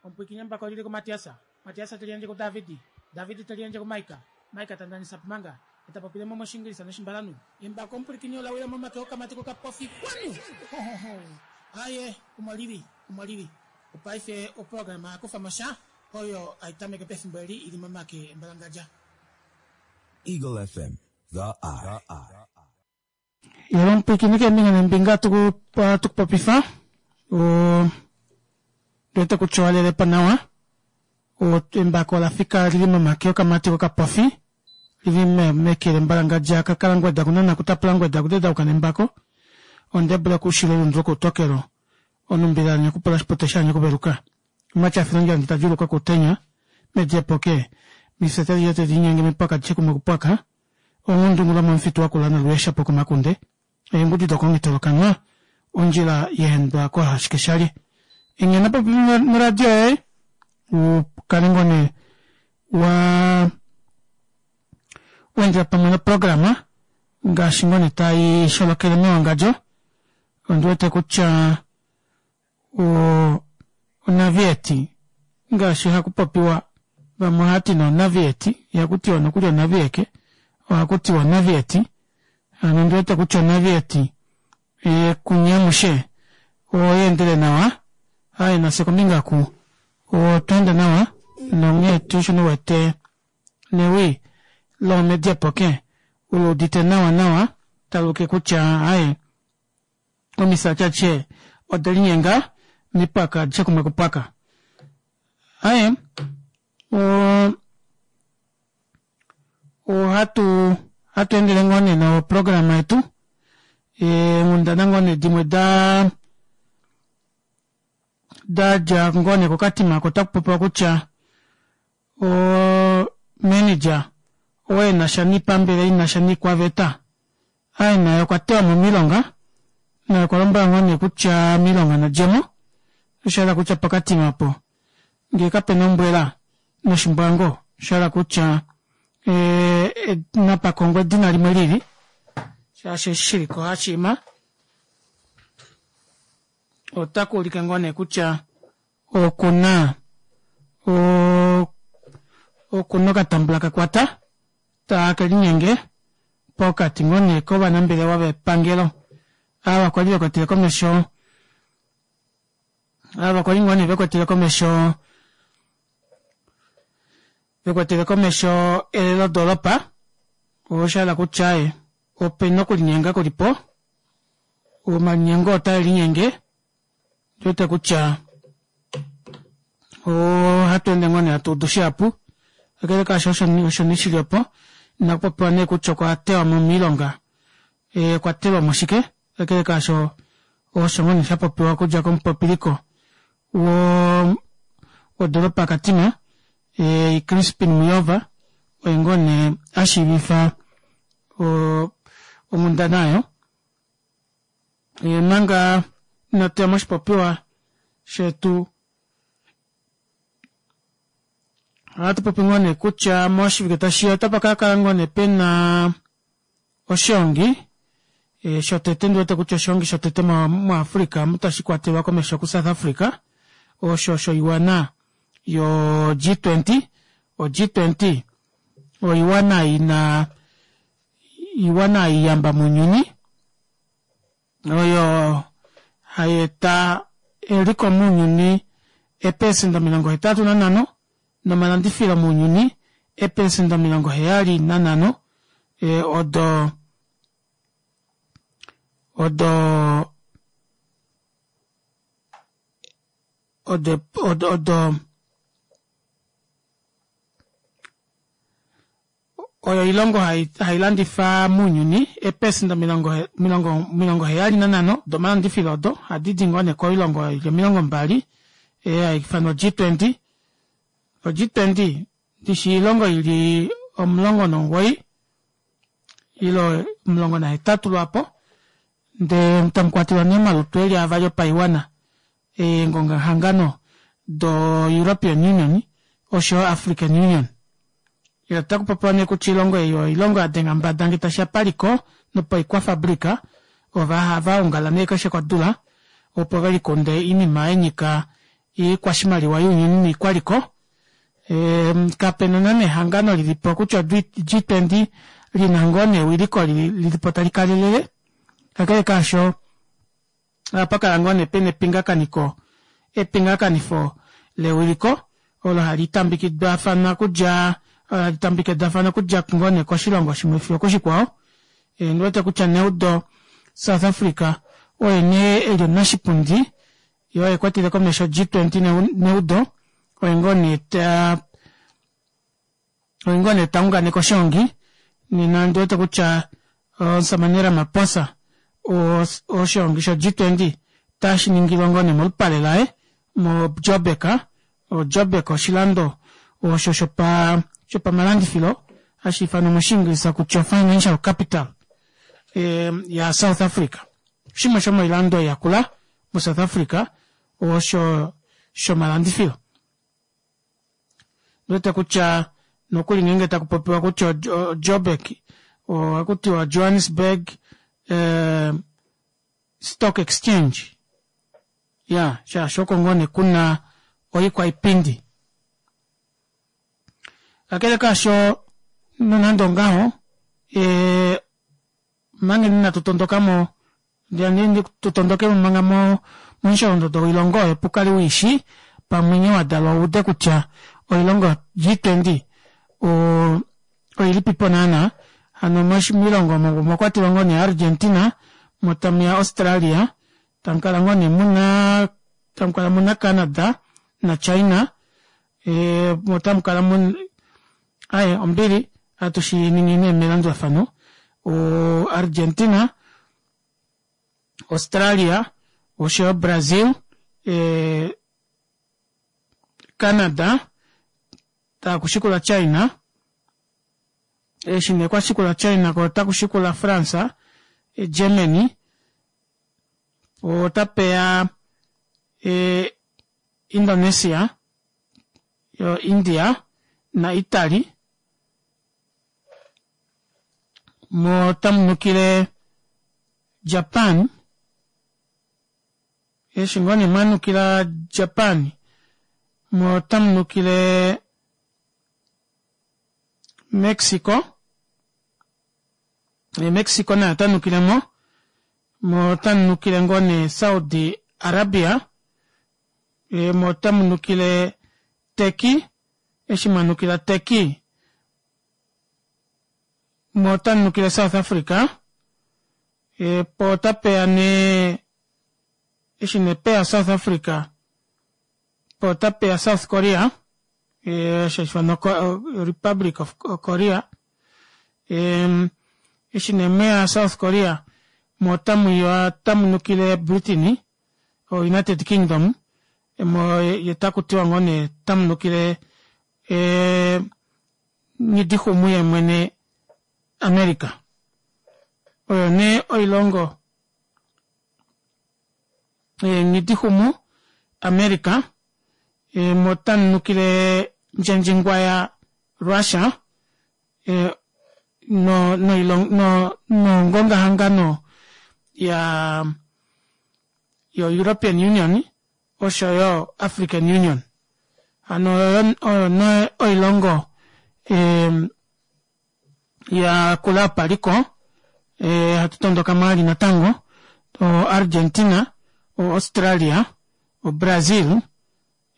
Omupwiikini embako lili kuMatias, Matias te liyandje kuDavid, David te liyandje kuMaika, Maika ta ndanisa Pumanga, ye ta popile mo mOshiingilisa nOshimbalanhu. Embako omupwilikini ola wila momake okamati kokapofi kwanu! Hohoho! Aye, omo lili, omo lili. Opaife oprograma ya kufa mo sha oyo hai tameke pefimbo eli i li momake embalangadja. Eagle FM, The Eye. Yolo omupwiikini keembinga neembinga atu ku popifa ndiwete kutya owa lele po nawa. Embako ola fika li li momake okamati kokapofi li li meke lembalangadja kakalangweda kunana kutapula ngweda kudedauka nembako ondebule koushilo lundu lokoutokelo onumbila nyakupula oshipote sha nyakuveluka omatyafilongi andi tadjuuluka koutenya mediepoke mifye tadi tadi linyenge mipwaka adishe kumwe kupwaka Ongundungu lomomufitu wakula nolweesha pokomakunde, eengudi dokomutolokanwa, ondjila ya endwa koohashikeshalye. Enghena popepi noradio yoye u kale ngoo nee wa wendela pamwe noprograma ngaashi ngoo nee tai sholokele mewangadjo. Ondi wete kutya Onavieti, ngaashi haku popiwa, vamwe ohava ti nee onavieti, ihaku tiwa nokuli onavieke, ohaku tiwa onavieti. Hano ondi wete kutya onavieti kunye amushe oya endele nawa, aaye nafye kombinga oku otwa enda nawa nonghee tuu osho ndiwete newi loomediepoke uluudite nawa nawa taluulike kutya aaye Omisati adishe ode linyenga mipwaka adishe kumwe kupwaka. Aye, ohatu hatu endele ngoo nee noprograma yetu eenghundana ngoo nee dimwe da da dja ngoo nee kokatima oko otaku popiwa kutya o manager oo enasha niipambele inasha niikwaveta Aye naye okwa tewa mo miilonga na okwa lombwelwa ngaa nee kutya miilonga na djemo, osha hala kutya pokatima opo ngee kapena ombwela noshimbwango osha hala kutya napa kongwe edina limwe lili shaashi eshi shiliko hashiima otaku ulike ngoo nee kutya okuna okuna okatambula kakwata take linyenge pokati ngoo nee kovanambelewa vepangelo ava kwali vekwetele komesho ava kwali ngoo nee vekwetele komesho vekwetele komesho elelodoolopa osha hala kutya ye opena okulinyenga kulipo omalinyengo otae linyenge Ndiwete kutya ohatu ende ngoo nee hatu udu shihapu kakele kaasho osho osho nee shili opo inaku popiwa nee kutya okwa tewa mo miilonga eh, okwa telwa mo shike kakele kaasho osho ngoo nee sha popiwa okudja komupopiliko wo wodolopa Katima eh, Crispin Muyova oye ngoo nee a shiivifa onghundana oyo Manga inatu ya moshipopiwa shetu ohatu popi ngoo nee kutya moshivike tashi ya otapa ka kala ngoo nee pena oshiongi eh, shotete ndi wete kutya oshiongi shotete muAfrica mu tashi kwatelwa komesho kuSouth Africa osho shoiwana yo G20 o G20 oiwana ina Oiwana iyamba mounyuni oyo hai eta eliko mounyuni eepelesenda 85 nomalandifilo mounyuni eepelesenda 75 odo odo odo odo Oyo oilongo hai landifa mounyuni eepelesenda 75 domalandifilo odo hadi di ngoo nee koilongo oyo ili 20 hai ifanwa G20. O G20 ndishi oilongo ili 19 ile 18 lwaapo ndee tamu kwatelwa nee omalutu eli avali opaiwana eengongahangano do-European Union osho yo African Union. Otaku popiwa nee kutya oilongo ei oyo oilongo ya denga mbada ngee tashi ya paliko nopoikwafabrika. Ova hava ongala nee keshe kodula opo ve likunde oinima ya nyika yoikwashimaliwa younyuni noikwaliko. Kapena naana ehangano lilipo kutya o G20 lina ngoo nee ewiliko lilipo tali kalelele kakele kaasho ohapa kala ngoo nee pena epingakaniko epingakanifo lewiliko olo hali tambikidwafana okudja olo hali tambikidwafana okudja ngoo nee koshilongo shimwe fiyo okoshikwao. Ondiwete kutya neudo South Africa oye nee eli omunashipundi yee oye ekwatele komesho G20 neudo oye ngoo nee taa oye ngoo nee taunganeke oshoongi nena ondiwete kutya omusamane Ramaphosa oshoongi sho G20 otashi ningilwa ngoo nee molupale laye mo Joburg, o Joburg oshilando osho shopa shopamalandifilo hashi ifanwa moshiingilisa kutya financial capital ya South Africa. Shimwe shomoilando yakula mo South Africa osho shomalandifilo. Ndiwete kutya nokuli ngeenge taku popiwa kutya Joburg ohaku tiwa Johannesburg Stock Exchange ya shaashi oko ngoo nee kuna oikwaipindi. Kakele kaasho nonande ongaho omanga inatu tondokamo tu tondokemo manga momusholondodo woilongo oyo pukale uishi pamwe nghee wadalwa uude kutya oilongo G20 oilipipo naana. Hano moilongo omo omwa kwatelwa ngoo nee Argentina, mo tamuya Australia, tamukala ngoo nee muna tamukala muna Canada na China mo tamukala muna aaye ombili ohatu shiningi nee melandulafano Argentina, Australia oshoyo Brazil Canada takushikula China eshi nee kwashikula China ko otakushikula France, Germany otapeya Indonesia yo India na Italy mo otamu nukile Japan eshi ngoo nee mwanukila Japan mo otamu nukile Mexico Mexico naye ota nukile mo mo otamu nukile ngoo nee Saudi Arabia mo otamu nukile Turkey eshi mwanukila Turkey mo otamu nukile South Africa po otapeya nee eshi nee peya South Africa po otapeya South Korea osho hashi ifanwa Republic of Korea eshi nee mweya South Korea mo otamuya otamu nukile Britain o United Kingdom mo ye takutiwa ngoo nee otamu nukile nghidixumu yemwene America. Oyo nee oilongo nghidixumu America mo otamu nukile ndjendjingwaya Russia no no nongongahangano ya yo European Union osho yo African Union. Hano oyo nee oilongo ya kula yopaliko hatu tondoka mo natango o Argentina, o Australia, o Brazil,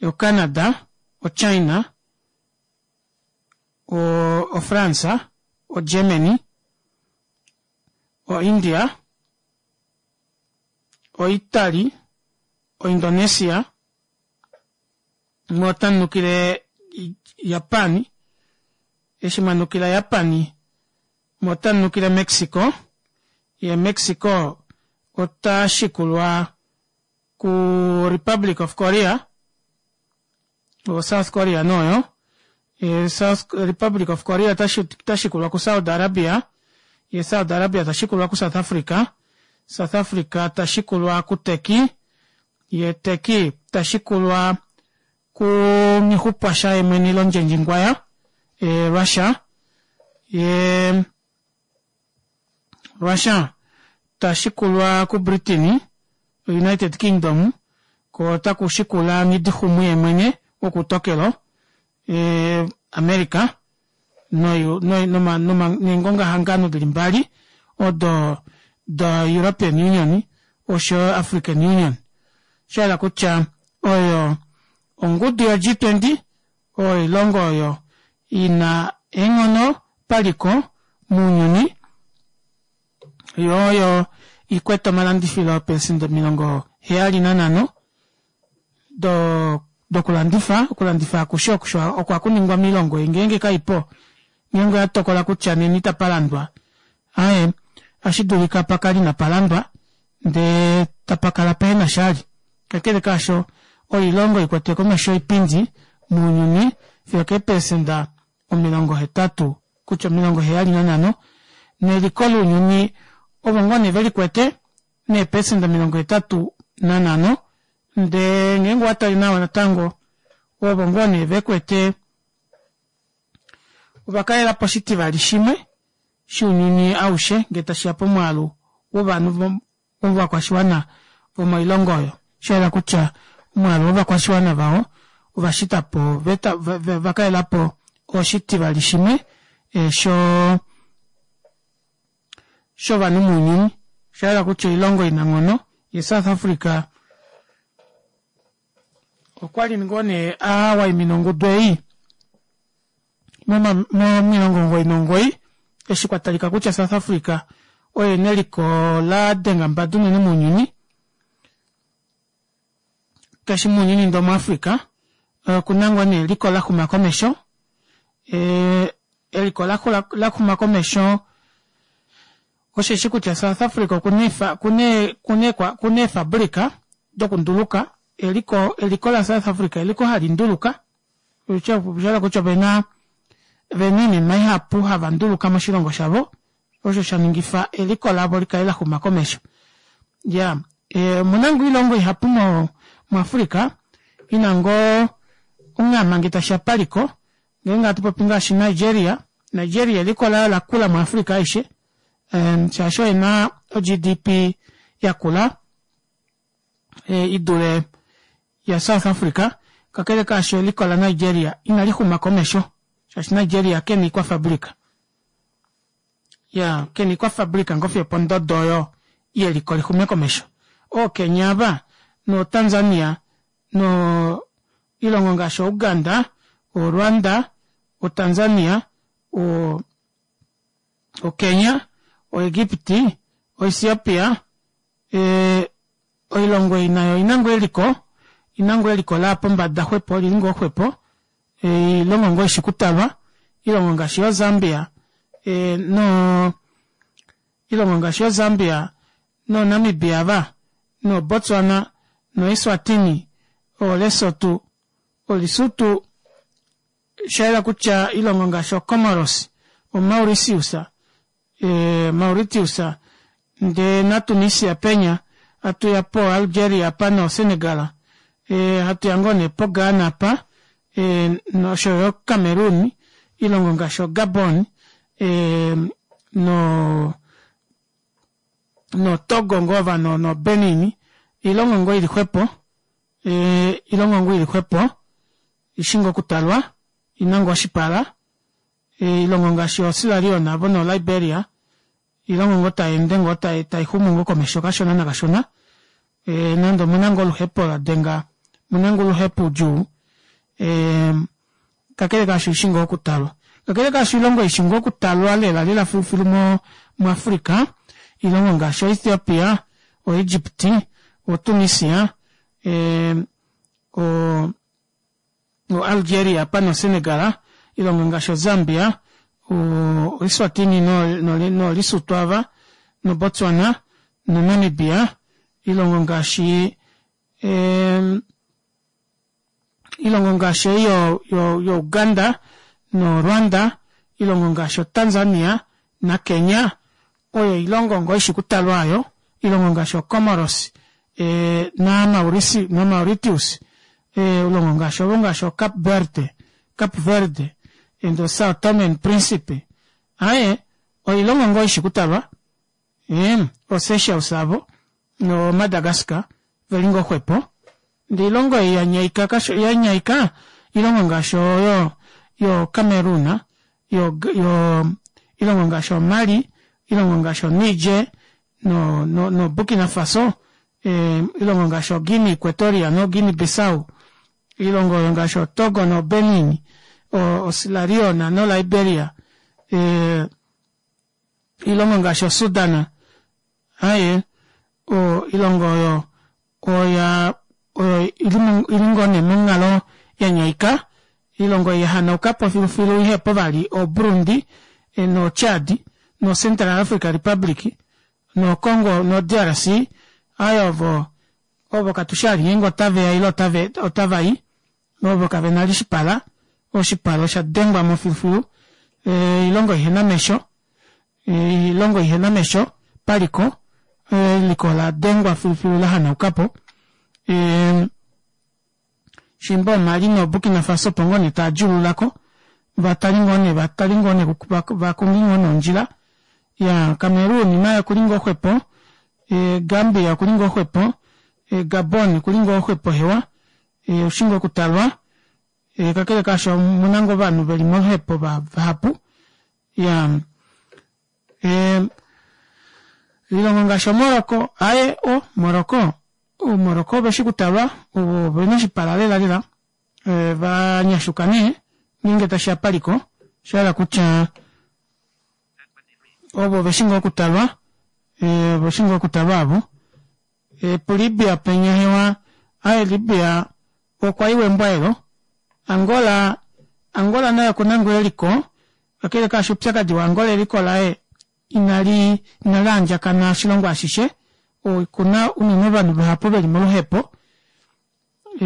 o Canada, o China, o France, o Germany, o India, o Italy, o Indonesia, mo otamu nukile Japan, eshi mwanukila Japan mo otamu nukile Mexico, ye Mexico ota shikulwa ku Republic of Korea, o South Korea noyo, South Republic of Korea ota shikulwa ku Saudi Arabia, ye Saudi Arabia ta shikulwa ku South Africa, South Africa ta shikulwa ku Turkey, ye Turkey ta shikulwa ku Nghixupwasha yemwene londjendjingwaya Russia, ye Russia ta shikulwa ku Britain, United Kingdom, Ko otaku shikula Nghidixumu yemwene wokuutokelo, America, neengongahangano dili mbali odo doEuropean Union oshoyo African Union. Osha yela kutya oyo ongudu yo G20 oyo oilongo oyo ina eenghono paliko mounyuni yo oyo ikwete omalandifilo eepelesenda 75 dokulandifa okulandifa akushe oko haku ningwa moilongo ei ngeenge kaipo ngeenge oya tokola kutya nena itapalandwa aaye ohashi dulika pakale inapalandwa ndee tapakala pehena shali kakele kaasho oilongo ikwete komesho oipindi mounyuni fiyo keepelesenda 80 kutya 75 neliko lounyuni ovo ngoo nee velikwete neepelesenda 85 ndee ngeenge owatale nawa natango ovo ngoo nee vekwete ovakalelapo oshitivali shimwe shounyuni aushe ngee tashiya pomwaalu wovanhu vovakwashiwana vomoilongo oyo shayela kutya omwaalu wovakwashiwana vawo ovashitapo ovakalelapo oshitivali shimwe shovanhu mounyuni oshayela kutya oilongo inanghono ye South Africa okwali ngoo nee awaimina ongudu ei mo99 eshi kwatalika kutya South Africa oye neliko la denga mbada unene mounyuni kashi mounyuni ndee omuAfrica okuna ngoo nee eliko laxuma komesho eliko laxuma komesho osheshi kutya South Africa okuna eefabrika dokunduluka eliko eliko la South Africa eliko hali nduluka oshahala kutya ovena oinima ihapu hava nduluka moshilongo shavo osho shaningifa eliko lavo likale laxuma komesho iya omuna ngoo oilongo ihapu muAfrica ina ngoo onghama ngee tashiya paliko ngeenge hatupopi ngaashi Nigeria, Nigeria eliko laye olakula muAfrica aishe shaashi ena o-G_D_P yakula idule ya South Africa kakele kaasho eliko la Nigeria inalixuma komesho shaashi Nigeria kena oikwafabrika iya kena oikwafabrika ngoo fiyo opondodo oyo yeliko lixume komesho ooKenya ava nooTanzania no ilongo ngaashi Uganda, oRwanda, oTanzania, oKenya, oEgipti, oEthiopia oilongo ei nayo oina ngoo eliko ina ngoo eliko laya pombada xwepo olili ngoo xwepo oilongo ngoo ishi okutalwa oilongo ngaashi yoo Zambia oilongo ngaashi yoo Zambia noo Namibia ava no Botswana no Eswatini o Lesotho o Lesotho oshayela kutya oilongo ngaashi o Comoros o Mauritius Mauritius ndee naTunisia penya hatuya po Algeria apa no Senegal hatuya ngoo nee po Ghana apa noshoyo Cameroon oilongo ngaashi o Gabon noTogo ngoo ova noBenin oilongo ngoo ili xwepo oilongo ngoo ili xwepo ishi ngoo okutalwa ina ngoo oshipala oilongo ngaashi o Sierra Leone avo no Liberia oilongo ngoo tayeende ngoo taixumu ngoo komesho kashona nakashona nande omuna ngoo oluhepo ladenga omuna ngoo oluhepo udjuu kakele kaasho oishi ngoo okutalwa kakele kaasho oilongo ishi ngoo okutalwa lela lela filufilu muAfrica oilongo ngaashi oEthiopia, oEgypt, oTunisia oAlgeria apa noSenegal oilongo ngaashi oZambia oEswatini nooLesotho ava noBotswana noNamibia oilongo ngaashi oilongo ngaashi ei yoUganda noRwanda oilongo ngaashi oTanzania naKenya oyo oilongo ngoo ishi okutalwa aayo oilongo ngaashi oComoros naMauritius oilongo ngaashi ovo ngaashi oCape Verde Cape Verde and Sao Tome and Principe aaye oilongo ngoo ishi okutalwa oSeychelles avo noMadagascar veli ngoo xwepo. Ndee oilongo ei yanyaika kasho yanyaika oilongo ngaashi oyo yo Cameroon yo yo oilongo ngaashi o Mali oilongo ngaashi o Niger no no Burkina Faso oilongo ngaashi o Guinea Equatoria no Guinea Bissau oilongo oyo ngaashi o Togo no Benin o Sierra Leone no Liberia oilongo ngaashi o Sudan aaye oilongo oyo oya oyo ili ngoo nee monghalo yanyaika oilongo ei yahanaukapo filufilu ihepo vali o Burundi no Chad no Central Africa Republic no Congo no DRC aaye ovo ovo katushi vali ngeenge otaveya ile otavai ovo kavena vali oshipala oshipala osha dengwamo filufilu oilongo ihena omesho oilongo ihena omesho paliko eliko oladengwa filufilu lahanaukapo shimba o Mali no Burkina Faso opo ngoo nee taadjuululako vatali ngoo nee vatali ngoo nee vakonge ngoo nee ondjila iyaa Cameroon naye okuli ngoo xwepo Gambia okuli ngoo xwepo Gabon okuli ngoo xwepo hewa oshi ngoo okutalwa kakele kaasho omuna ngoo ovanhu veli moluhepo vahapu iyaa oilongo ngaashi o Morocco aaye o Morocco o Morocco oveshi okutalwa ovena oshipala lela lela vanyashuka nee ngeenge tashiya paliko oshahala kutya ovo oveshi ngoo okutalwa oveshi ngoo okutalwa aavo Pu Libya penya hewa aaye Libya okwa iwa embwaelo. Angola Angola naye okuna ngoo eliko kakele kaasho oupyakadi wa Angola eliko laye inali inali andjakana oshilongo ashishe okuna unene ovanhu vahapu veli moluhepo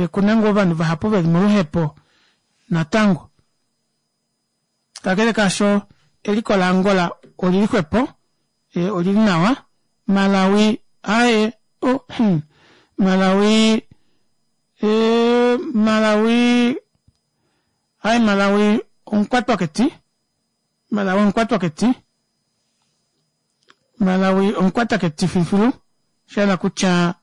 okuna ngoo ovanhu vahapu veli moluhepo natango. Kakele kaasho, eliko laAngola oli li xwepo, oli li nawa. Malawi, aaye, oh, hum, Malawi, ee, Malawi, aaye, Malawi omukwatwaketi, Malawi omukwatwaketi, Malawi omukwataketi filufilu, sha hala kutya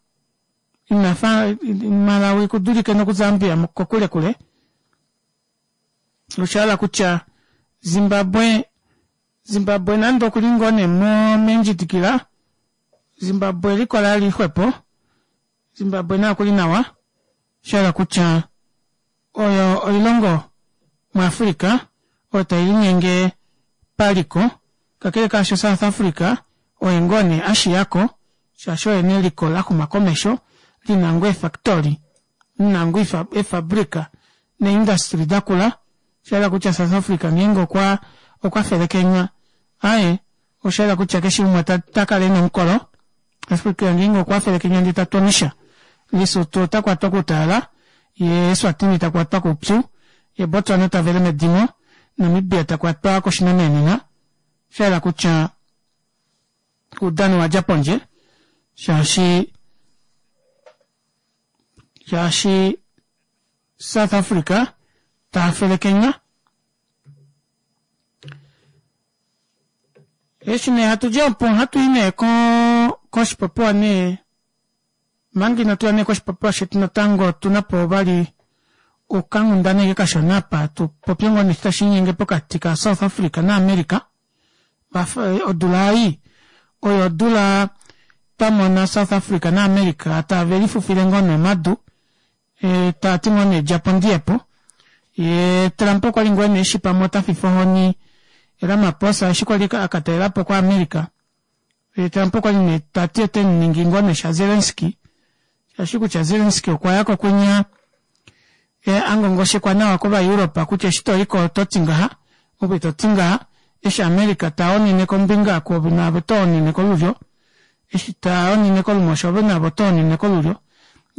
ina fa Malawi ku dulike nokuZambia kokulekule. Osha hala kutya Zimbabwe Zimbabwe nande okuli ngoo nee mendjidikila Zimbabwe eliko laye oli li xwepo Zimbabwe naye okuli nawa sha hala kutya oyo oilongo muAfrica oyo tai linyenge paliko kakele kaasho South Africa oye ngoo nee ashiyako shaashi oye neliko laxuma komesho lina ngoo eefactory lina ngoo eefabrika neeindustry dakula, osha yela kutya South Africa ngeenge okwa okwa felekenywa aaye osha yela kutya keshe umwe ota kala ena omukolo, Africa ngeenge okwa felekenywa ndee ta twonisha, Lesotho ota kwatwa koutalala, yee Eswatini ta kwatwa koupyu, yee Botswana ta vele medimo, Namibia ta kwatwa koshinamenena, osha yela kutya oudano owa dja pondje shaashi shaashi South Africa ta felekenywa. Eshi nee hatu dji opo ohatu i nee koshipopiwa nee manga inatu ya nee koshipopiwa shetu natango otuna po vali okanghundaneki kashona apa tu popye ngoo nee tashi linyenge pokati ka South Africa na America. Odula ei oyo odula twa mona South Africa na America tave lifufile ngoo nee omadu taa ti ngoo nee djapo ndiyepo. Yee Trump okwa li ngoo nee eshi pamwe ota fifa ohoni Ramaphosa eshi kwali a ka talelapo ko America. Trump okwa li nee ta ti ote mu ningi ngoo nee sha Zelensky shaashi kutya Zelensky okwa ya ko kwinya a ngongoshekwa nawa kOvaeuropa kutya eshi to i ko oto ti ngaha ove to ti ngaha eshi America ta onene kombinga kuove naave oto onene kolulyo eshi ta onene kolumosho ove naave oto onene kolulyo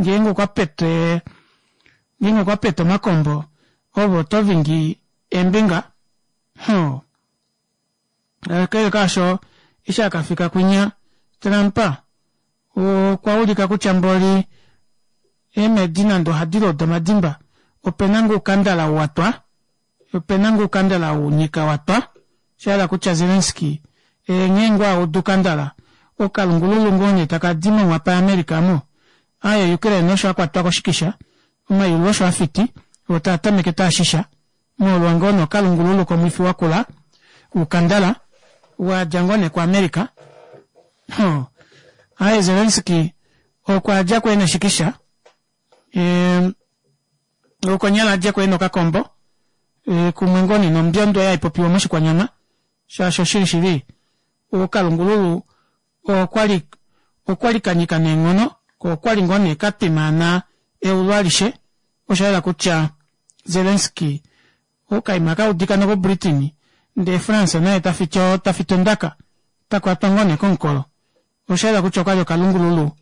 ngeenge okwa pete ngeenge okwa pete omakombo ove oto vingi eembinga hoo Kakele kaasho, eshi a ka fika kwinya, Trump okwa ulika kutya mboli eemhedi nande ohadi luuda omadimba, ope na ngoo oukandala ou wa twa, ope na ngoo oukandala ou nyika wa twa. Osha yela kutya Zelensky nghee ngoo a uda oukandala, okalungululu ngoo nee taka di monghwapa yaAmerica omo. Aaye Ukraine osho a kwatwa koshikisha, omayulu osho a fiti, oo taa tameke taa shisha, molwa ngoo nee okalungululu komwifi wakula woukandala wa dja ngoo nee kuAmerica. Hoo. Aaye Zelensky okwa dja ko ena eshikisha, e, okonyala a dje ko ena okakombo, e, kumwe ngoo nee nombyondo oyo hai popiwa moshikwanyama, shaashi oshili shili okalungululu okwali okwali ka nyika neenghono ko okwali ngoo nee ka twimaana eulu alishe. Osha yela kutya Zelensky okaima ka udika nokoBritain ndee France naye ta fiti ta fiti ondaka ta kwatwa ngoo nee komukolo. Osha yela kutya okwali okalungululu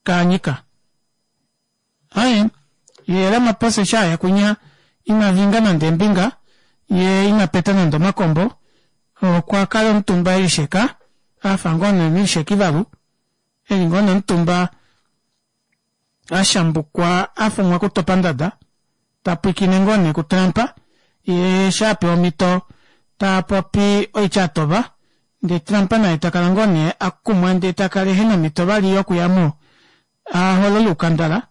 ka nyika. Aye, ye Ramaphosa eshi aya kwinya ina vinga nande eembinga, ye ina peta nande omakombo, okwa kala omutumba e lisheka, a fa ngoo nee omulisheki valu, e li ngoo nee omutumba a shambukwa a fa omwakutopandada, ta pwiikine ngoo nee kuTrump, ye eshi a pewa omhito ta popi oitya atova, ndee Trump naye ta kala ngoo nee a kumwa ndee ta kala ehe na omhito vali yokuya mo a holole oukandala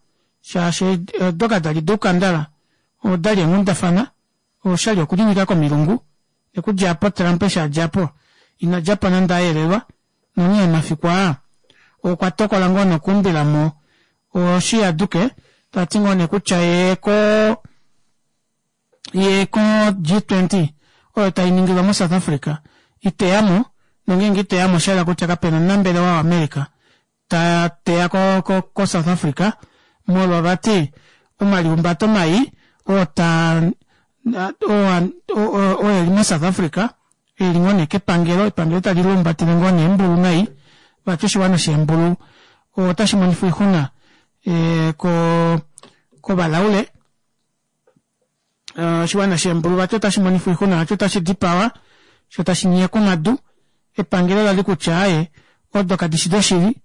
shaashi odo kada li doukandala odali eenghundafana oshali okulinyika komilungu okudja apo Trump eshi a dja po ina dja po nande a yelelwa nonghee omafiku aa okwa tokola ngoo nokuumbila mo oshiyaduke ta ti ngoo nee kutya ye ko ye ko G20 oyo tai ningilwa moSouth Africa iteya mo nongeenge iteya mo osha yela kutya kapena omunambelewa waAmerica ta teya ko, ko, ko South Africa molwa vati omalihumbato mai oo ta oo eli mo South Africa eli ngoo nee kepangelo, epangelo tali lumbatele ngoo nee eembulu nai vati oshiwana sheembulu otashi monifwa oixuna e, ko kovalaule Eh, oshiwana sheembulu vati otashi monifwa oixuna vati otashi dipawa sho tashi nyekwa omadu epangelo lali kutya aye odo kadi shi doshili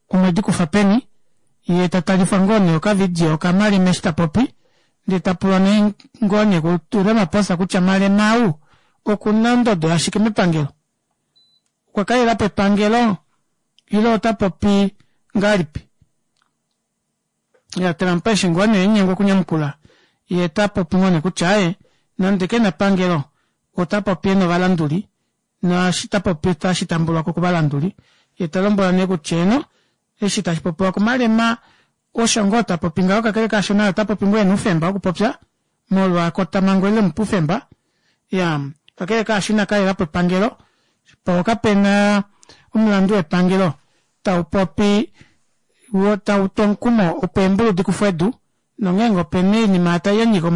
omwe di kufa peni ye ta talifwa ngoo nee okavidio okamalema eshi ta popi ndee ta pulwa nee ngoo nee kuRamaphosa kutya Malema ou oku na ondodo yashike mepangelo okwa kalela po epangelo ile ota popi ngahelipi Ya Trump eshi ngoo nee enyengwa okunyamukula, ye ta popi ngoo nee kutya aye nande kena pangelo ota popi ena ovalanduli naashi ta popi otashi tambulwa ko kovalanduli. Ye ta lombwelwa nee kutya eeno eshi tashi popiwa kuMalema osho ngoo ta popi ngaho kakele kaasho naye ota popi ngoo ena oufemba wokupopya molwa ekotamhango eli lemupa oufemba. Ya kakele kaasho ina kalela po epangelo po kapena omulandu wepangelo tau popi wo tau tu omukumo opo eembulu di kufwe edu, nongeenge ope na oinima tai ya nyika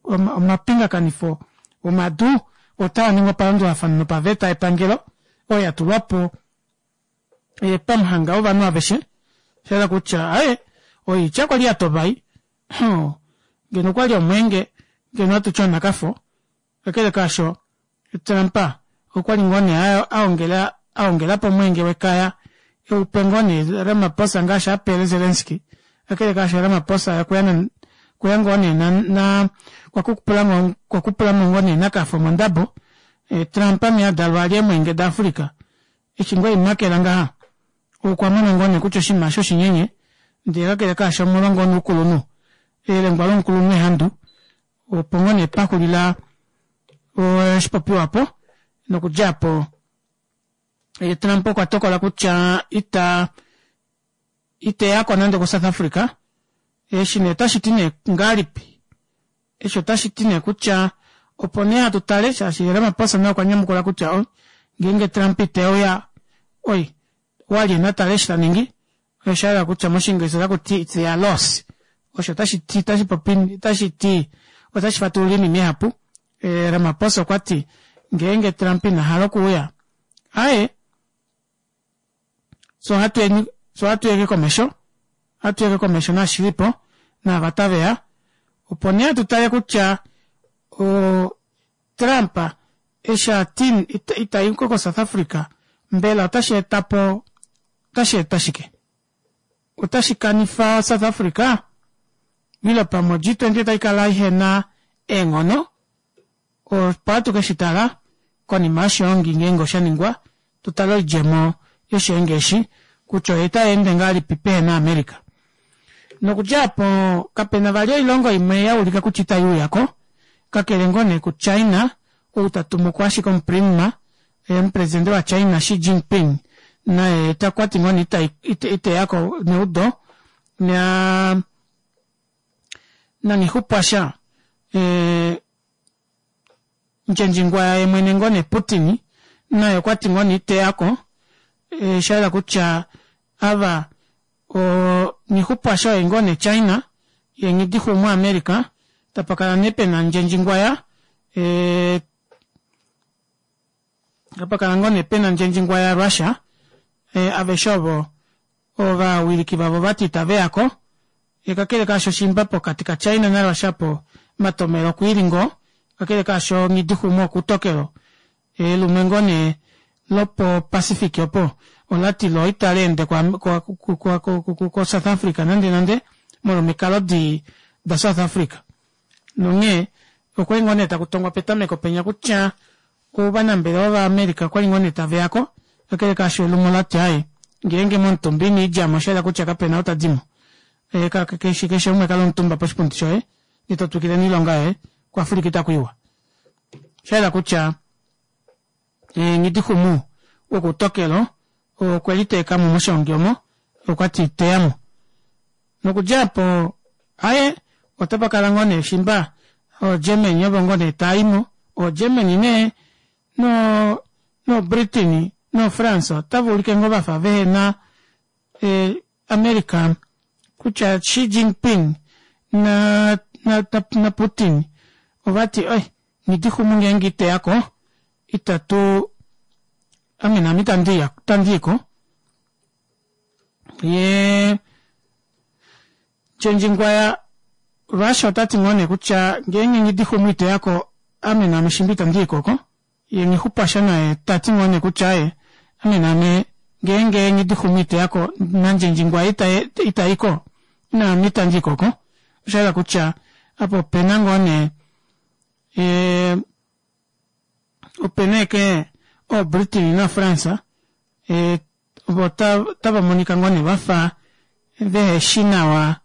omapingakanifo omadu otaa ningwa palandulafano nopaveta yepangelo oyo ya tulwa po pamuhanga wovanhu aveshe. Osha yela kutya aye oitya kwa li ya tova ei. Ngeno okwa li omweenge ngeno ohatu ti onakafo. Kakele kaasho, Trump okwa li ngoo nee a ongela a ongela po omweenge wekaya e u pe ngoo nee Ramaphosa ngaashi a pele Zelensky. Kakele kaasho Ramaphosa okwe ya okwe ya ngoo nee na na okwa kupula mo okwa kupula mo ngoo nee nakafo mondabo. Trump mee a dalwa a lye eemweenge daAfrica. Eshi ngoo ei makela ngaha okwa mona ngoo nee kutya oshinima eshi oshinyenye ndee kakele kaasho omolwa ngoo nee oukulunhu, elengwa lomukulunhu ehandu Opo ngoo nee pa xulila oshipopiwa opo, nokudja opo Trump okwa tokola kutya ita ite ya ko nande koSouth Africa. Eshi nee otashi ti nee ngahelipi? Eshi otashi ti nee kutya opo nee hatu tale shaashi Ramaphosa naye okwa nyamukula kutya oh, ngeenge Trump ite uya oi walye na tale eshi ta ningi. Osha yela kutya mOshiinglisa otaku ti it's their loss. Osho otashi ti, otashi popi, otashi ti, otashi fatulula oinima ihapu. Eh, Ramaphosa okwa ti ngeenge Trump ina hala okuuya, aye, so ohatu yeni, so ohatu yeke komesho, ohatu yeke komesho naashi li po, naava tave ya. Opo nee hatu tale kutya o, Trump eshi a ti ita i ko koSouth Africa, mbela otashi eta po otashi eta shike? Otashi kanifa South Africa ile pamwe o G20 otai kala ihe na eenghono? Opo hatu ke shi tala konima yoshihongi ngeenge osha ningwa, tu tale oidjemo yoshihongi eshi kutya otai ende ngahelipi pehe na America. Nokudja opo kapena vali oilongo imwe yaulika kutya ita iuyako kakele ngoo nee ku China ou tatumuko ashike omuprima omupresidente wa China Xi Jinping naye okwati ngoo nee iteyako neudo na Nghixupwasha Ndjendjingwaya yemwene ngoo nee Putin naye okwati ngoo nee iteyako shayela kutya ava Nghixupwasha oye ngoo nee China yee Nghidixuumwa America tapakala nee pena Ndjendjingwaya tapakala ngoo nee pena Ndjendjingwaya Russia aveshe ovo ovawiliki vavo vati itaveyako kakele kaasho shimba pokati ka China na Russia po omatomelo okwiili ngoo kakele kaasho Nghidixuumwa okutokelo Elume ngoo nee lopo Pacific opo olati lo itali ende ko South Africa nande nande molwa omikalo dii da South Africa. Nonghee okwali ngoo nee taku tongwa petameko penya kutya ovanambelewa va America okwali ngoo nee taveyako kakele kaasho elume olati aaye ngeenge momutumba ino idjamo oshayela kutya kapena ou tadimo. Keshe umwe kala omutumba poshipundi shoye ndee totwikile noilonga yoye ku Africa itaku iwa. Osha yela kutya Nghidixumu wokutokelo okwe liteeka mo moshiongi omo, okwa ti teya mo. Nokudja opo aye otapa kala ngoo nee shimba ooGermany ovo ngoo nee taa i mo, ooGermany nee no noBritain noFrance otava ulike ngoo vafa vehena America kutya Xi Jinping na na Putin ovati oi Nghidixumu ngeenge iteyako itatu ame naame itandiya itandiiko yee Tjendjingwaya Russia otati ngoo nee kutya ngeenge Nghidixumu iteyako ame naame shimba itandiiko oko Ye Nghixupwasha naye ta ti ngoo nee kutya aye ame naame ngeenge Nghidixumu ite ya ko naNdjendjingwa ita i ko naame itandi i ko ko. Osha yela kutya apa ope na ngoo nee ope na ashike ooBritain naFrance ovo otava monika ngoo nee vafa veheshi nawa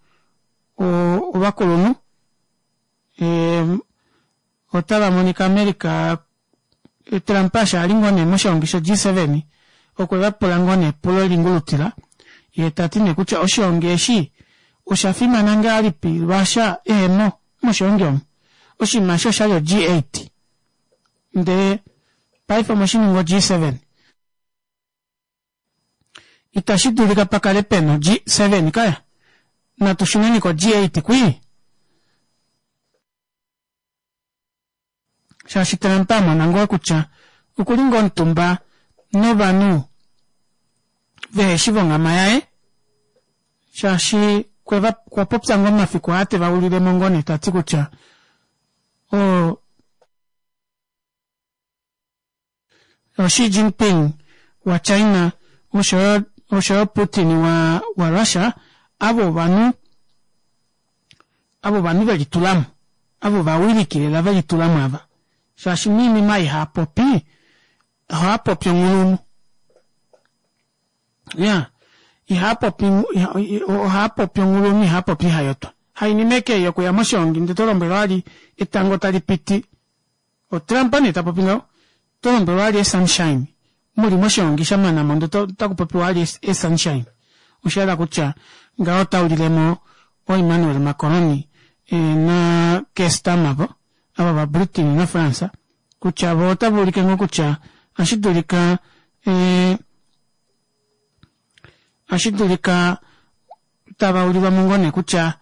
ovakulunhu. Otava monika America Trump eshi ali ngoo nee moshiongi sho G7 okwe vapula ngoo nee epulo lingulutila yee tati nee kutya oshiongi eshi osha fimana ngahelipi Russia ehemo moshiongi omu. Oshinima eshi oshali o G8 ndee paife omweshininga o G7. Itashi dulika pa kale pe na G7 kaya. Natu shuneni ko G8 kwii. Shaashi Trump a mona ngoo kutya okuli ngoo omutumba novanhu veheshi vonghama yaye, shaashi kweva okwa popya ngoo omafiku aa teva ulilemo ngoo nee tati kutya o Xi Jinping wa China oshoyo oshoyo Putin wa wa Russia ava ovanhu ava ovanhu velitulamo ava ovawiliki lela velitulamo ava shaashi moinima ei haapopi ohaapopi onghulunhu ya ihaapopi ohaapopi onghulunhu ihaapopi hayotwa hainima eke yokuya moshiongi ndee tolombwelwa vali etango tali piti OTrump nee ta popi ngaho. Oto lombwelwa vali esunshine. Muli moshihongi sha mana mo ndele otaku popiwa vali esunshine. Osha yela kutya ngaho ota ulilemo ooEmmanuel Macron na Keir Starmer vo, ava vaBritain naFrance, kutya vo otava ulike ngoo kutya ohashi dulika ohashi dulika tava ulilwa mo ngoo nee kutya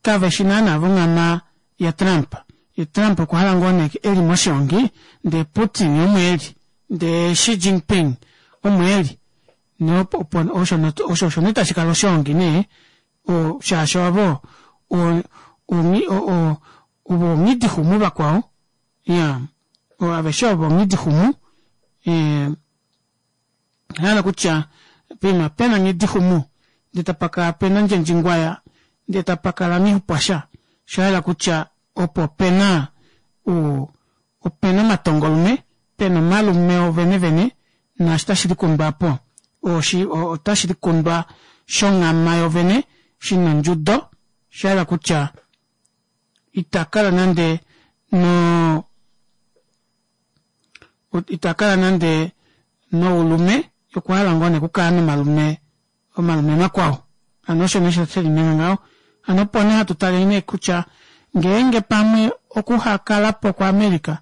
Kave shi naana vonghama yaTrump. Ye Trump okwa hala ngoo nee eli moshiongi ndee Putin omo eli ndee Xi Jinping omo eli osho osho nee tashi kala oshiongi nee shaashi avo ovo onghidixumu vakwao iya aveshe ovo onghidixumu hala kutya poima pena nghidixumu ndee tapakala pena ndjendjingwaya ndee tapakala nghixupwasha oshayela kutya opo opena opena omatongolume pena omalume ovene vene naashi tashi likundwa aapo otashi likundwa shonghama yovene. shina ondjudo, osha hala kutya ita kala nande no ita kala nande noulume okwa hala ngoo nee okukala nomalume omalume makwao hano osho nee shelinyenga ngaho hano opo nee hatu tale nee kutya ngeenge pamwe okuhakalapo kwaAmerica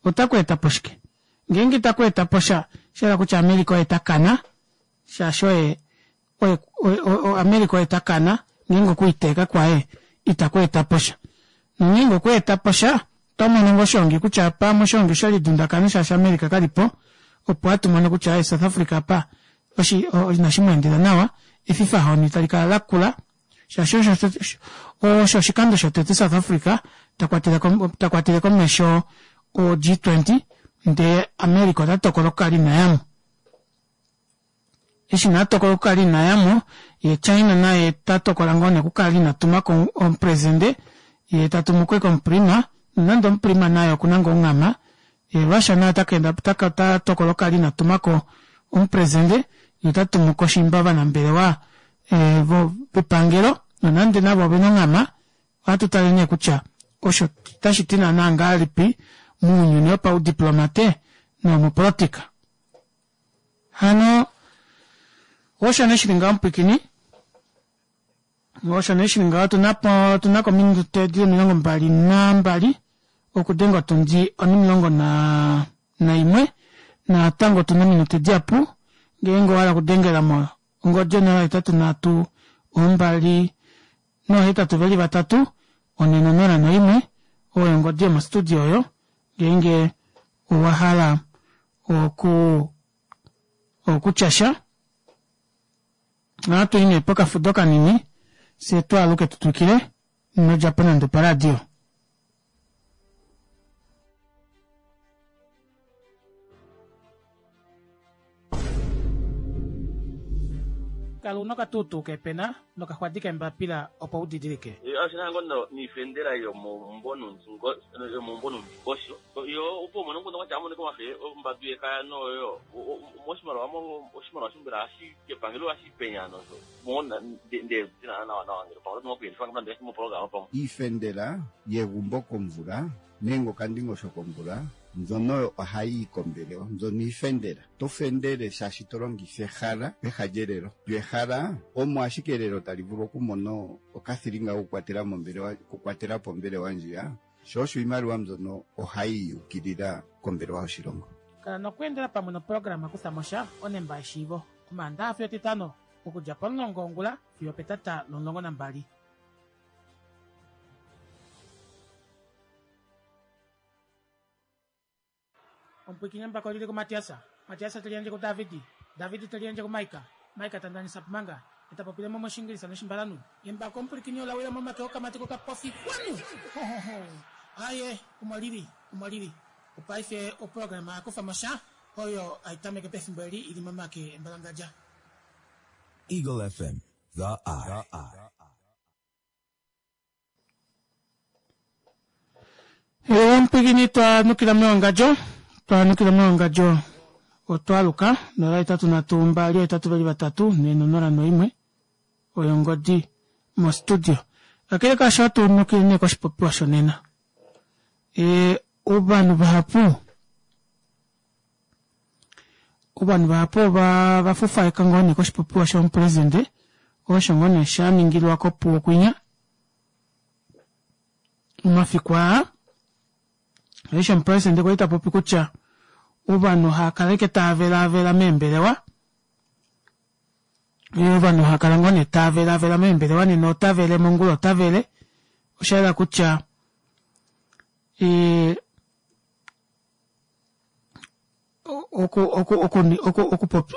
otaku etapo shike ngeenge itaku etapo sha osha hala kutya America oye takana shaashi oye America oye takana ngeenge okwiiteeka kwaye itaku etapo sha nongeenge okwa etapo sha oto mono ngoo oshiongi kutya pamwe oshiongi oshe lidundakana shaashi America kalipo opo hatu mono kutya South Africa apa inashi mu endela nawa efifahoni tali kala lakula shaashi osho oshikando shotete South Africa ta kwatele komesho o G20 ndee America ota tokola okukala ina yamo. Eshi nee a tokola okukala ina yamo ye China naye ta tokola ngoo nee okukala ina tumako omupresidente ye ta tumu ko omuprima nonande omuprima naye okuna ngoo onghama ye Russia naye ota tokola okukala ina tumako omupresidente ye ota tumu ko shimba ovanambelewa vepangelo nonande navo ovena onghama ohatu tale nee kutya osho otashi ti naana ngahelipi mounyuni wopaudiplomate nomopolotika. Hano osho nee shili ngaho mupwikini osho nee shili ngaho otunako ominute dili 22 okudenga otundi onimulongo naimwe natango otuna ominute dihapu ngeenge owahala okudengela mo ongodi 083 2 nohetatu veli vatatu 401 oyo ongodi yomostudio oyo ngeenge owa hala oku okutya sha ohatu i nee pokafudo kanini fye twaaluke tu twikile nodjapo nande oparadio. Kala una okatuutuu keepena nokaxwadi keembapila opo u didilike. Oshi na ngoo niifendela yomomumvo nomundingosho yo opo umone omukundu kwatya amonike omafe ombadu yekaya noyo moshimaliwa oshimaliwa shombela hashi kepangelo hashi penya nosho Iifendela yegumbo komvula nenge okandingosho komvula mbyono oyo ohayi yi kombelewa. Mbyono iifendela. Oto fendele shaashi to longitha ehala peha lyelelo. Lyo ehala omo ashike elelo tali vulu okumona okathilinga kokukwatela mombelewa, okukwatela po ombelewa ndjiya. Sho osho iimaliwa mbyono ohayi yi ukilila kombelewa yoshilongo. Kala nokweendela pamwe noprograma Kutha mo sha onemba yeshiivo Omaandaha fiyo Etitano okudja pomulongo wongula fiyo opetata lomulongo nambali. Omupwiikini embako oli li kuMatias, Matias te liyandje kuDavid, David te liyandje kuMaika, Maika ta ndanisa Pumanga, ye ta popile mo mOshiingilisa nOshimbalanhu. Embako omupwilikini ola wila momake okamati kokapofi kwanu! Hohoho! Aaye, omo li li, omo li li. Opaife oprograma ya kufa mo sha oyo hai tameke pefimbo eli i li momake embalangadja. Eagle FM, the eye. Omupwikini twa nukila mewangadjo twa nukila mewangadjo otwa aluka 083 283 401 oyo ongodi mostudio kakele kaasho ohatu nukile nee koshipopiwa shonena e, ovanhu vahapu Ovanhu vahapu ova va fufaeka ngoo nee koshipopiwa shomupresidente osho ngoo nee sha ningilwa kOpuwo kwinya omafiku aa. Eshi omupresidente kwali ta popi kutya ovanhu hava kala ashike tava velaavela meembelewa, ovanhu hava kala ngoo nee tava velaavela meembelewa nena ota vele mongula ota vele, osha yela kutya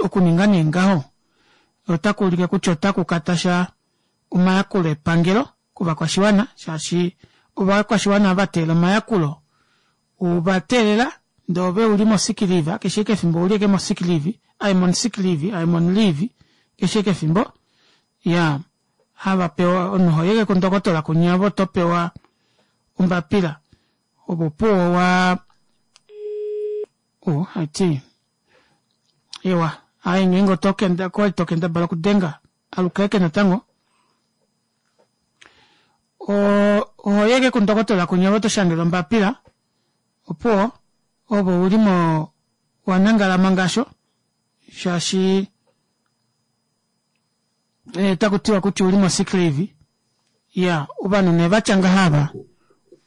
okuninga nee ngaho otaku ulike kutya otaku katasha omayakulo epangelo kovakwashiwana shaashi ovakwashiwana ava teelela omayakulo ova teelela ndee ove uli mo sick leave keshe eke efimbo ouli eke mo sick leave I'm on sick leave I'm on leave keshe eke efimbo ya hava pewa omunhu hoyeke kundokotola kunyavo oto pewa ombapila Opo opuwo wa oh haiti ewa aye ngeenge oto kenda kwali to kendabala okudenga aluka eke natango. Oho yeke kundokotola kunya ove oto ombapila opuwo ove uli mo wanangala mangasho shaashi taku tiwa kutya uli mo sick leave. Ya ovanhu nee vatya ngaha ava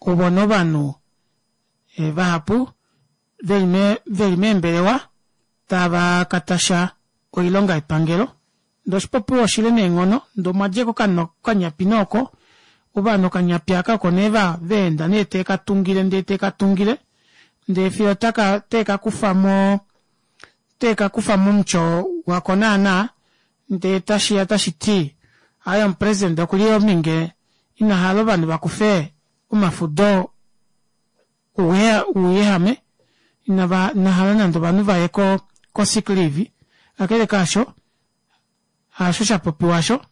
ovona ovanhu vahapu veli meembelewa tava katasha oilonga yepangelo. Ndee oshipopiwa oshile neenghono ndee omwadja okanyapi nooko ovanhu okanyapi aka oko nee vaenda nee teekatungile ndee teekatungile ndee fiyo teekakufamo teekakufa momutyo wako naana ndee tashiya tashiti aaye omupresident okuli ominge inahala ovanhu vakufe omafudo ouyehame inahala nande ovanhu vaye ko sick leave. Kakele kaasho haasho shapopiwa asho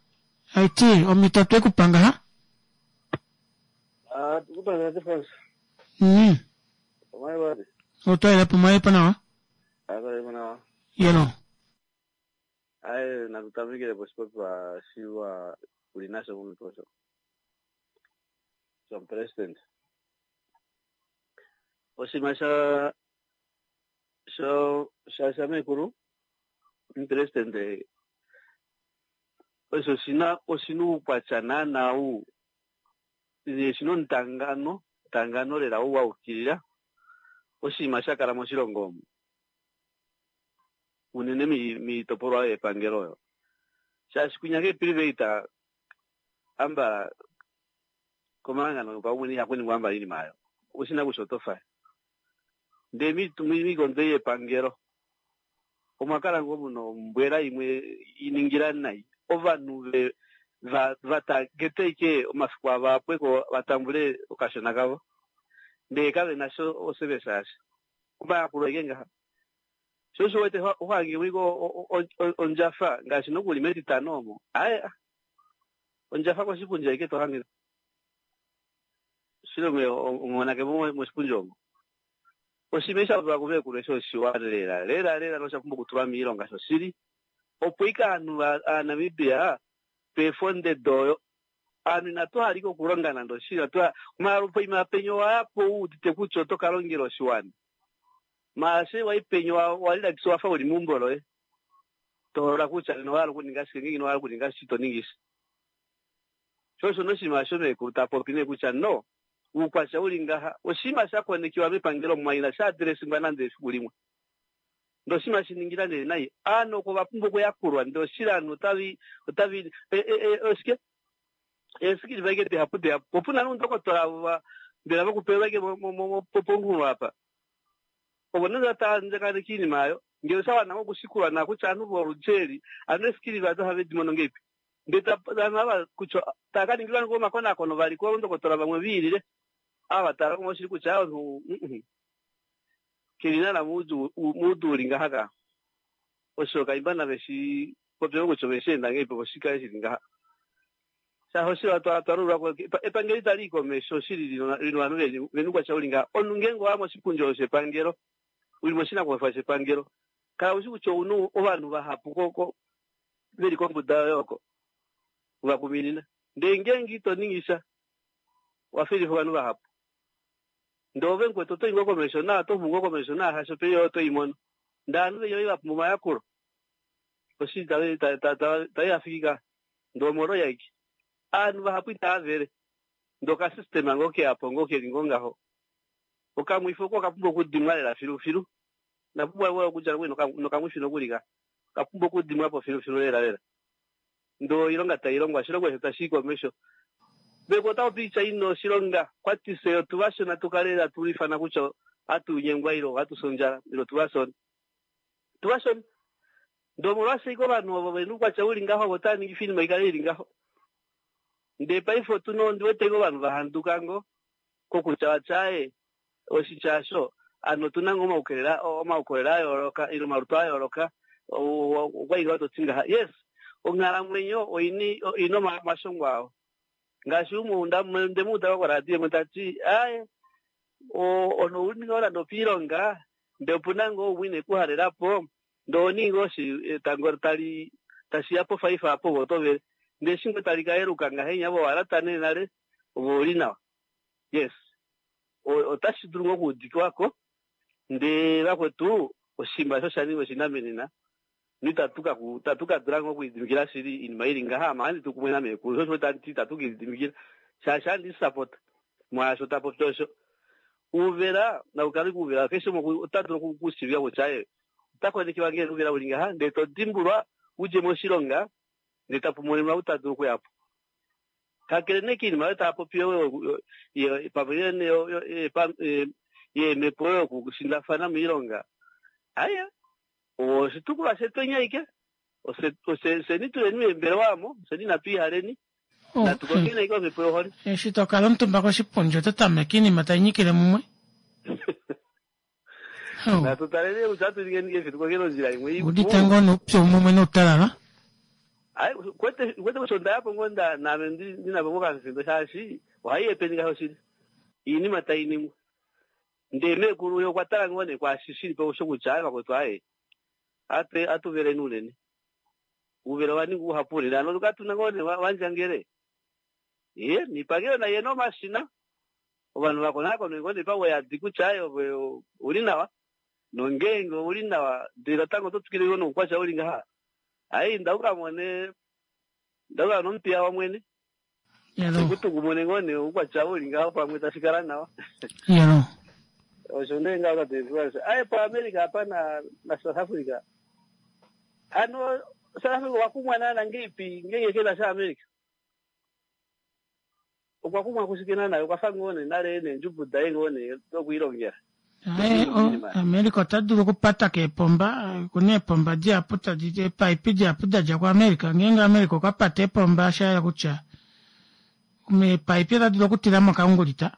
haiti omito twekupa ngaha. Otwaelepo mwaelepo nawa. Yelo. Aye natutamikile poshipopiwa shiwa uli nasho momutwe osho shomupresident. Oshinima sha sho sha shamekulu omupresident osho shina oshina uukwatya naana u shina omutangano tangano lela ou waukilila oshinima sha kala moshilongo omu unene miitopolwa yepangelo oyo shaashi kunya keeprivate amba komahangano paumwene ihaku amba iinima ayo oshina kutya oto faya ndee miikondo yepangelo omwa kala ngoo muna ombwela imwe iningila nai ovanhu vatagete omafiku ava apweko vatambule okashona kavo ndee kave sho osevesa yasha omayakulo eke ngaha sho osho wete ohange wiko ondjafa ngaashi nokuli metitano omo aye ondjafa koshipundi aike tohange shilongo omonake moshipundi omo oshinima sha popiwa kumekulu osho oshiwa lela lela lela nosha pumbwa okutulwa miilonga shoshili opo ike aanhu aaNamibia tweefonde oyo aanhu inatu halika okulonga nande oshili poima penye owayapo wuudite kutya oto ka longela oshiwana maashe wai penye walilakisa wafa uli meumbo loye toholola kutya ino hala okuninga shike ngenge ino hala okuninga shi to ningi shi sho osho noshinima shomekulu ta popi nee kutya no uukwatya uli ngaha oshinima sha konekiwa mepangelo mwaina sha adresingwa nande efiku limwe ndee oshinima shiningila nee nai aanhu oko vapumbwa okuyakulwa ndee oshili aanhu otavi otavi oshike eesikili vaike dihapu dihapu opuna nuundokotola mbela vokupelwa ike ponghulo apa ovo nande vatandjakaneka iinima ayo ngele oshawana okushikulwa naa kutya aanhu voludji anu eesikili vado ohave di mono ngeipi ndee ovanhu ava kutya tava ka ningilwa ngoo omakonakono vali koondokotola vamwe viilile ava tala oshili kutya omunhu keli naana muudju uli ngaha ka osho kaimba nave shi popye kutya ove shi enda ngeipi opo shikale shili ngaha shaashi oshili twalulwa epangelo itali i komesho oshili lina ovanhu vena uukwatya uli ngaha omunhu ngeenge owa moshipundi osho shepangelo uli moshinakuwanifwa shepangelo kala ushi kutya ouna ovanhu vahapu veli kombuda yoye oko vakuminina ndee ngeenge ito ningi sha wafilifa ovanhu vahapu ndee ove mukwetu oto i ngoo komesho naa oto xumu ngoo komesho naa hasho pei oto imono ndee ovanhu venya vapumbwa omayakulo oshili tayi ka ndee omolwo yaike aanhu vahapu itava vele ndee okasystema ngoo keyapo ngoo keli ngoo ngaho okamwifi oko okapumbwa okudimwa lela filufilu napumbwa okudja nokamwifi nokuli ka kapumbwa okudimwa po filufilu lela lela ndee oilonga tailongwa oshilongo osho tashi i komesho beko otapopi itya ina oshilonga kwatise otuvashona tukale hatu lifana kutya hatu nyengwa ile hatu sondjala ile tuvashona tuvashona ndee omolwashike ovanhu ovo vena uukwatya uli ngaho ovo tava ningi iinima ikale ili ngaho ndee paife otuna ondiwete ovanhu vahanduka ngo kokutya watya aye oshitya asho ano otuna ngoo omaukolele a yooloka ile omalutu a yooloka okwainga toti ngaha yes onghalamwenyo oina omashongo awo ngaashi umwe ndemuuda koradio imwe tati aye ono uli ngoo nande opiilonga ndee opuna ngoo umwe ine kuhalelapo ndee oningi oshi etango tali tashiya pofaifa apo ove oto vele ndee eshi ngoo tali kayeluka ngahenya vo owalata nee nale. Ove ouli nawa. Yes. Otashi dulu ngoo okuudikiwa ko, ndee vakwetu oshinima osho osha ninga oshinamenena noitatu ka itatu ka dula ngoo okulididimikila shili oinima ili ngaha. Ame ohandi tu kumwe nameekulu, sho osho tandi ti itatu ke lididimikila shaashi ohandi sapota mwaasho ta popi osho. Uuvela nau kale uuvela keshe umwe ota dulu okushiivika kutya ye ota konekiwa ngee ouvela uli ngaha ndee to dimbulwa udje moshilonga ndee tapu monenwa ou ta dulu okuya po. Kakele nee koinima oyo tava popi pamwe yeemhepo oyo yokushindafana moilonga, aaye, oshitukulwa shetu enyaike, fyeni tuleni meembelewa omo, fyeni inatu ihaleni, natu kongeni ashike omhepo yohole. Eshi to kala omutumba koshipundi oto tameke iinima tai nyikile mumwe. Natu taleni kutya ohatu ningeni ngahelipi tu kongeni ondjila imwe ipu. Udite ngoo noupyu mumwe noutalala. Ai, kwete kwete kutya onda ya po ngoo nda naame ndi ndi na po ngoo okafindo shaashi ohai epeni ngaho shili. Iinima tai ningwa. Ndee meekulu ye okwa tala ngoo nee kwaashi shi li po osho kutya aye vakwetu aye ate atuveleni unene. Uuvela owa ninga uhapu unene hano katu na ngoo nee wandjangele. Ye niipangelo nayi ye na omashina ovanhu va konakonwe ngoo nee pauyadi kutya aye ove ouli nawa nongeenge ouli nawa ndele natango oto twikile ngoo noukwatya uli ngaha aye inda u ka mone inda u ka mone omupiya wOmwene Yalo. Eku tukumune ngoo nee oukwatya uli ngaho pamwe tashi kala nawa. Yalo. Osho nee ngaho tate Frans. Aye po America apa na na South Africa. Ano South Africa okwa kumwa naana ngeipi ngeenge ke na sha America. Okwa kumwa kushike naana okwa fa ngoo nee nale neendjubu daye ngoo nee dokwiilongela. Aye, America ota dulu okupata keepomba, okuna eepomba dihapu tadi, eepaipi dihapu da dja kuAmerica. Ngeenge America okwa pata eepomba, osha yela kutya meepaipi ota dulu okutila mo okaungulita,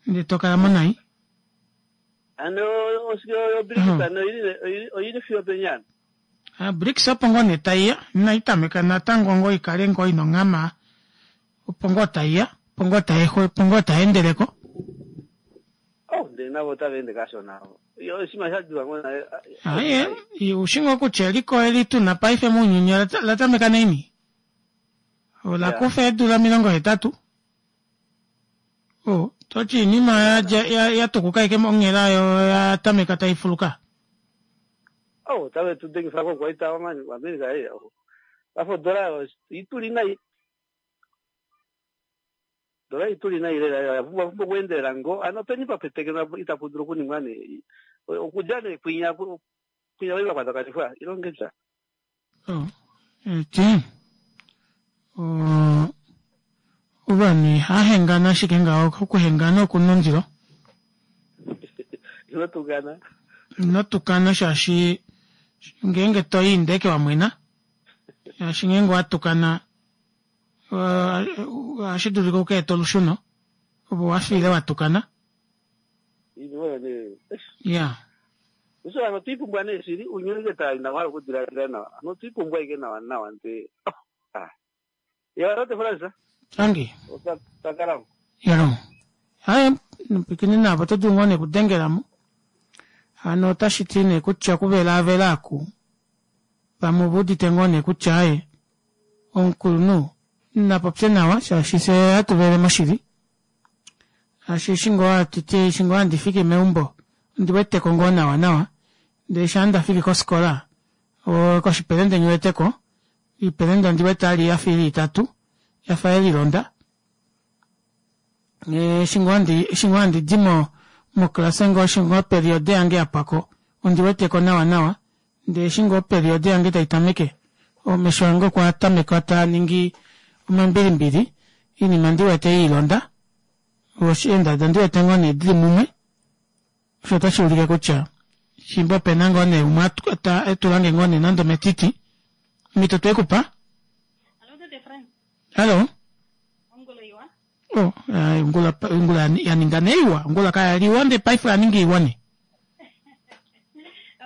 ndele to kala mo nai. Ano oshike oyo BRICS ano oyili oyili fiyo peni ano? Ah, BRICS opo ngoo nee tai ya, inai tameka natango ngoo ikale ngoo ina onghama, opo ngoo tai ya, opo ngoo tai opo ngoo tai endele ko. Oh, ndele navo otava ende kashona. Yo oshinima sha diwa ngoo naye. Aye, ushi ngoo kutya eliko eli tu na paife mounyuni ola tameka naini? Ola kufa eedula 80. Oh, toti iinima ya, ya, ya tukuka ike monghela yo ya tameka tai fuluka. Oh, otave tu dengifa ko kwaita wamani Amerika ei. Afa odola oyo ituli nai. Dola ituli nai lela oya pumbwa pumbwa okuendelela ngo. Ano openi pa petekenwa itapu dulu okuningwa nee. Okudja nee kwinya kwinya vai vakwatakanifwa ilongepya. Oh, eti oh, ovanhu ihahengana ashike ngaho okuhengana okuna ondilo. Ino tukana. Ino tukana shaashi ngeenge to i ndeke wa mwena shaashi ngeenge wa tukana ohashi dulika u ka ete olusheno opo wa fiile wa tukana. Iinima oyo nee. Ya. Osho ano otwi pumbwa nee shili unyuni ke taa ina hala okudiladila nawa. Ano otwi pumbwa ike nawa nawa nde. Ah. Ya tate Fransa. Tangi. Ota takala. Yalo. Haye nopikini navo oto dulu ngoo nee okudengela mo. Hano otashi ti nee kutya okuvelaavela aku vamwe ove udite ngoo nee kutya aye omukulunhu na popye nawa shaashi fye hatu vele moshili. Shaashi eshi ngoo hatu ti eshi ngoo handi fiki meumbo ondi weteko ngoo nawa nawa ndele shaa nda fiki kosikola koshipelende nghi weteko iipelende ondi wete ali ya fa ili itatu ya fa ye lilonda eshi ngoo handi eshi ngoo handi di mo moklase ngoo eshi ngoo periode yange ya pwako ondi weteko nawa nawa Ndee eshi ngoo operiode yange tai tameke, omesho ange okwa tameka taa ningi omambilimbili, oinima ndi wete ye ilonda, eendada ndi wete ngoo nee dili mumwe, osho otashi ulike kutya shimba ope na ngoo nee umwe e tula nge ngoo nee nande ometiti, omhito twe ku pa. Hallo. Oh, ongula ongula ya ninga nee iwa, ongula kaya li iwa ndee paife oya ninga iwa nee.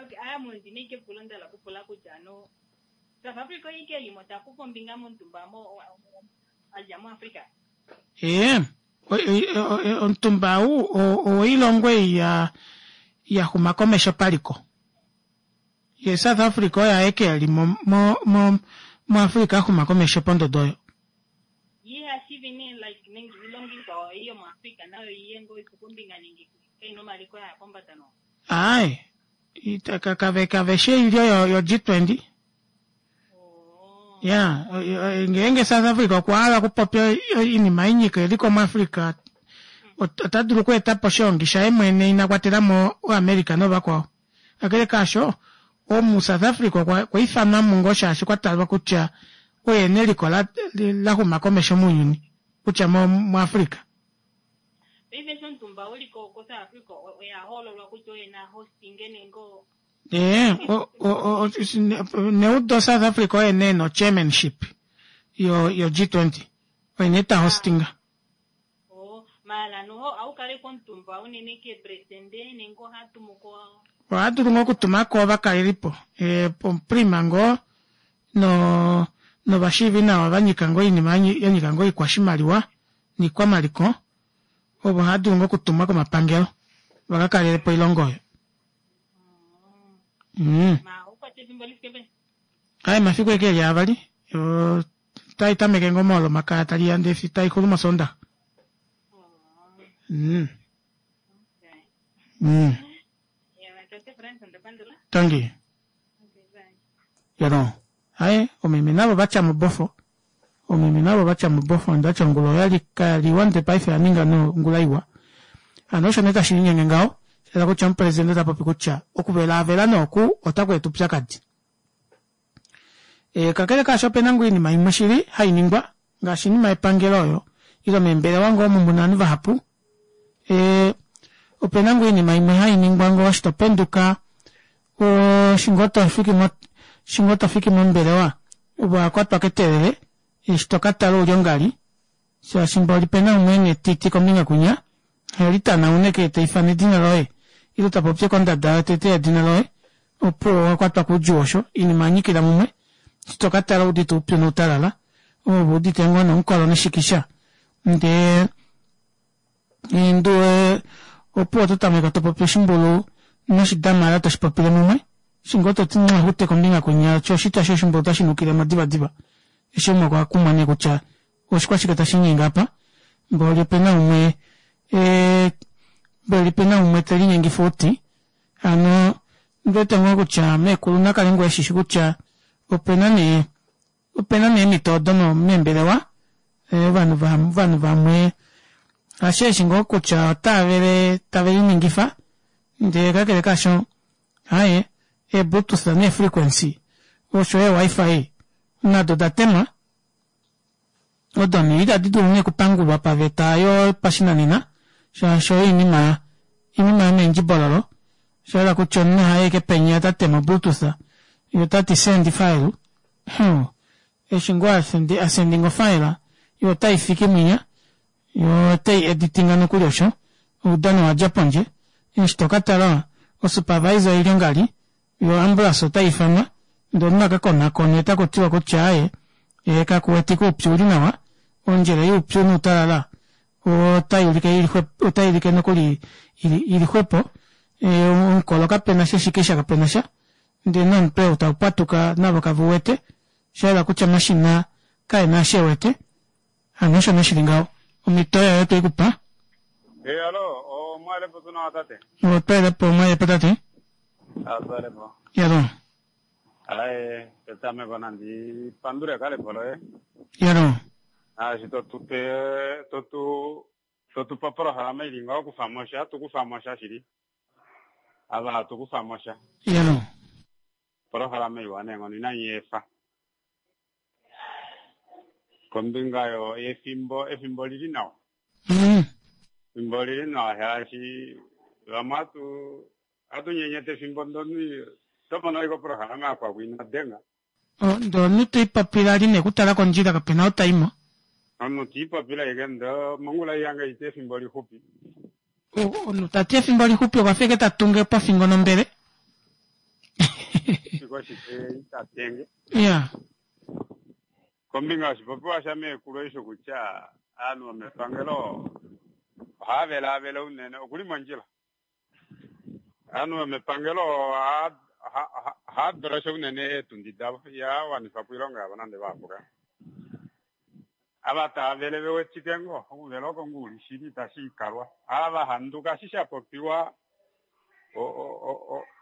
Okay, aya mundi neke pulo ndala kupula kutya no South Africa oike limo ta kufa ombinga momutumba mo a dja mo Africa. Ee, omutumba ou owoilongo ei ya ya xuma komesho paliko. Ye South Africa oye aeke eli mo mo mo muAfrica a xuma komesho pondodo oyo. shivi nee like nenge iilongo ikwao ei yomuAfrica nayo iye ngoo ikufe ombinga nenge kaina omaliko aya pombada no? Aaye, kave kave shi oilyo yo, yo G20. Oh. Ya, ngeenge South Africa okwa hala okupopya oinima inyika eliko muAfrica, ota dulu okweeta po oshiongi shaye mwene ina kwatela mo oAmerica novakwao. Kakele kaasho, omu South Africa okwa okwa ifanwa mo ngoo shaashi kwa talwa kutya oye neliko la, la xuma komesho mounyuni, kutya mo, muAfrica. Paife eshi omutumba u li ko ko South Africa oya hoololwa kutya oye na hostinge nenge o. Ee, o, o, o, neudo South Africa oye nee no chairmanship yo, yo G20. Oye nee ta hostinga. Oh, maala noho aukaleka omutumba unene keepresende nenge oha tumu ko. Oha dulu ngoo okutuma ko ovakalelipo, e, omuprima ngoo no novashiivi nawa va nyika ngoo oinima ya nyika ngoo oikwashimaliwa niikwamaliko, ovo hava dulu ngoo okutumwa komapangelo va ka kalele po oilongo oyo. Mm. Ma okwata efimbo li fike peni? Aye, mafiku eke eli avali. Tai tameke ngoo mOlomakaya tali ya ndee fi tai xulu mOsoondaxa. Mm. Okay. Ya, tate Frans, onda pandula. Tangi. Okay, bye. Yano. Aye, omeme navo vatya mobofo. Omeme navo vatya mobofo ndati ongula oyali kayali iwa ndele paife oya ninga nee ongula iwa. Hano osho nee tashi linyenge ngaho. Sha hala kutya omupresidente ota popi kutya okuvelaavela nee oku otaku eta oupyakadi. E, kakele kaasho ope na ngoo oinima imwe shili hai ningwa ngaashi oinima yepangelo oyo ile meembelewa ngoo omu mu na ovanhu vahapu. E, ope na ngoo oinima imwe hai ningwa ngoo eshi to penduka eshi ngoo to fiki mo eshi ngoo to fiki mombelewa wa kwatwa ketelele eshi to ka tala ouli ongali shaashi mboli pena umwe ena etiti kombinga kwinya heli tanaune ke ta ifana edina loye ile ta popye kondada yotete yedina loye opuwo owa kwatwa koudjuu osho oinima ya nyikila mumwe eshi to ka tala oudite oupyu noutalala ove udite ngoo nomukolo neshikisha ndee Nduwe opuwo oto tameke to popi oshimbulu noshidamara toshi popile mumwe. Eshi ngoo to ti mwahute kombinga kwinya sho oshitya shoshimbulu otashi nukile mo divadiva. Eshi umwe okwa kumwa nee kutya oshikwashike tashi inyenge apa. Mboli ope na umwe e mboli ope na umwe te linyengifa outi. Hano ondi wete ngoo kutya meekulu na kale ngoo eshishi kutya ope na nee Ope na nee eemhito odo meembelewa ovanhu ovanhu vamwe hasheeshi ngoo kutya otava vele tave liningifa ndele kakele kaasho aaye eebluetooth neefrequency osho yo eewifi nado oda temwa odo nee itadi dulu nee okupangulwa paveta yopashinanena shaashi oinima oinima yomeendjibololo osha yela kutya omunhu haye eke penya ta tema obluetooth ye ota ti send file Huh. Eshi ngoo a sendinga ofile, yo otai fiki mwinya, yo otai editinga nokuli osho. Oudano owa dja pondje. Eshi to ka tala, osupervisor oili ongali, yo oambulance otai ifanwa, ndee omunhu a ka konakonwe taku tiwa kutya aaye, ee kaku wetike oupyu uli nawa, ondjele youpyu noutalala otai ulike ili xwepo, otai ulike nokuli ili xwepo, omukolo kape na sha, eshikisha kape na sha. Ndele nomutwe ou tau pwatuka navo kave u wete. Osha yela kutya omashina kae na eshi e wete. Hano osho nee shi li ngaho. Omhito oyo oyo twe i ku pa. Ee, alo, omwalepo tuu nawa tate? Otwelepo, omwalepo tate. Atwelepo. Yalo. Aye, petameko nandi pandule ekalepo loye. Yalo. Naashi to tu pe, to tu, to tu pa opolohalama ili ngaho kufa mo sha, tu kufa mo sha shili. Ava hatu kufa mo sha. Yalo. Opolohalama iwa neenghono inai efa. Kombinga yo yefimbo, efimbo olili nawa. Efimbo olili nawa shaashi vamwe hatu hatu nyenyeta efimbo ndoni oto mono ashike opolohalama yakwaku ina denga. Ndee omunhu te ipopile ali nekutala kondjila kapena ou ta imo. Omunhu te ipopile ashike ndee mongula ei yange iti efimbo lixupi. Omunhu ta ti efimbo lixupi okwa fa ashike ta tunge pofingo nombele. Shike ita tenge. Iya. Kombinga yoshipopiwa shameekulu eshi kutya ovanhu vomepangelo ohava velaavela unene, okuli mondjila. Ovanhu vomepangelo ohava dulosha unene eetundi davo, ihava wanifa po oilonga yavo nande vahapu ka. Ava tava vele ve wetike ngoo, okuvela oko ngoo uli shili itashi ikalwa. Ava va handuka eshi sha popiwa,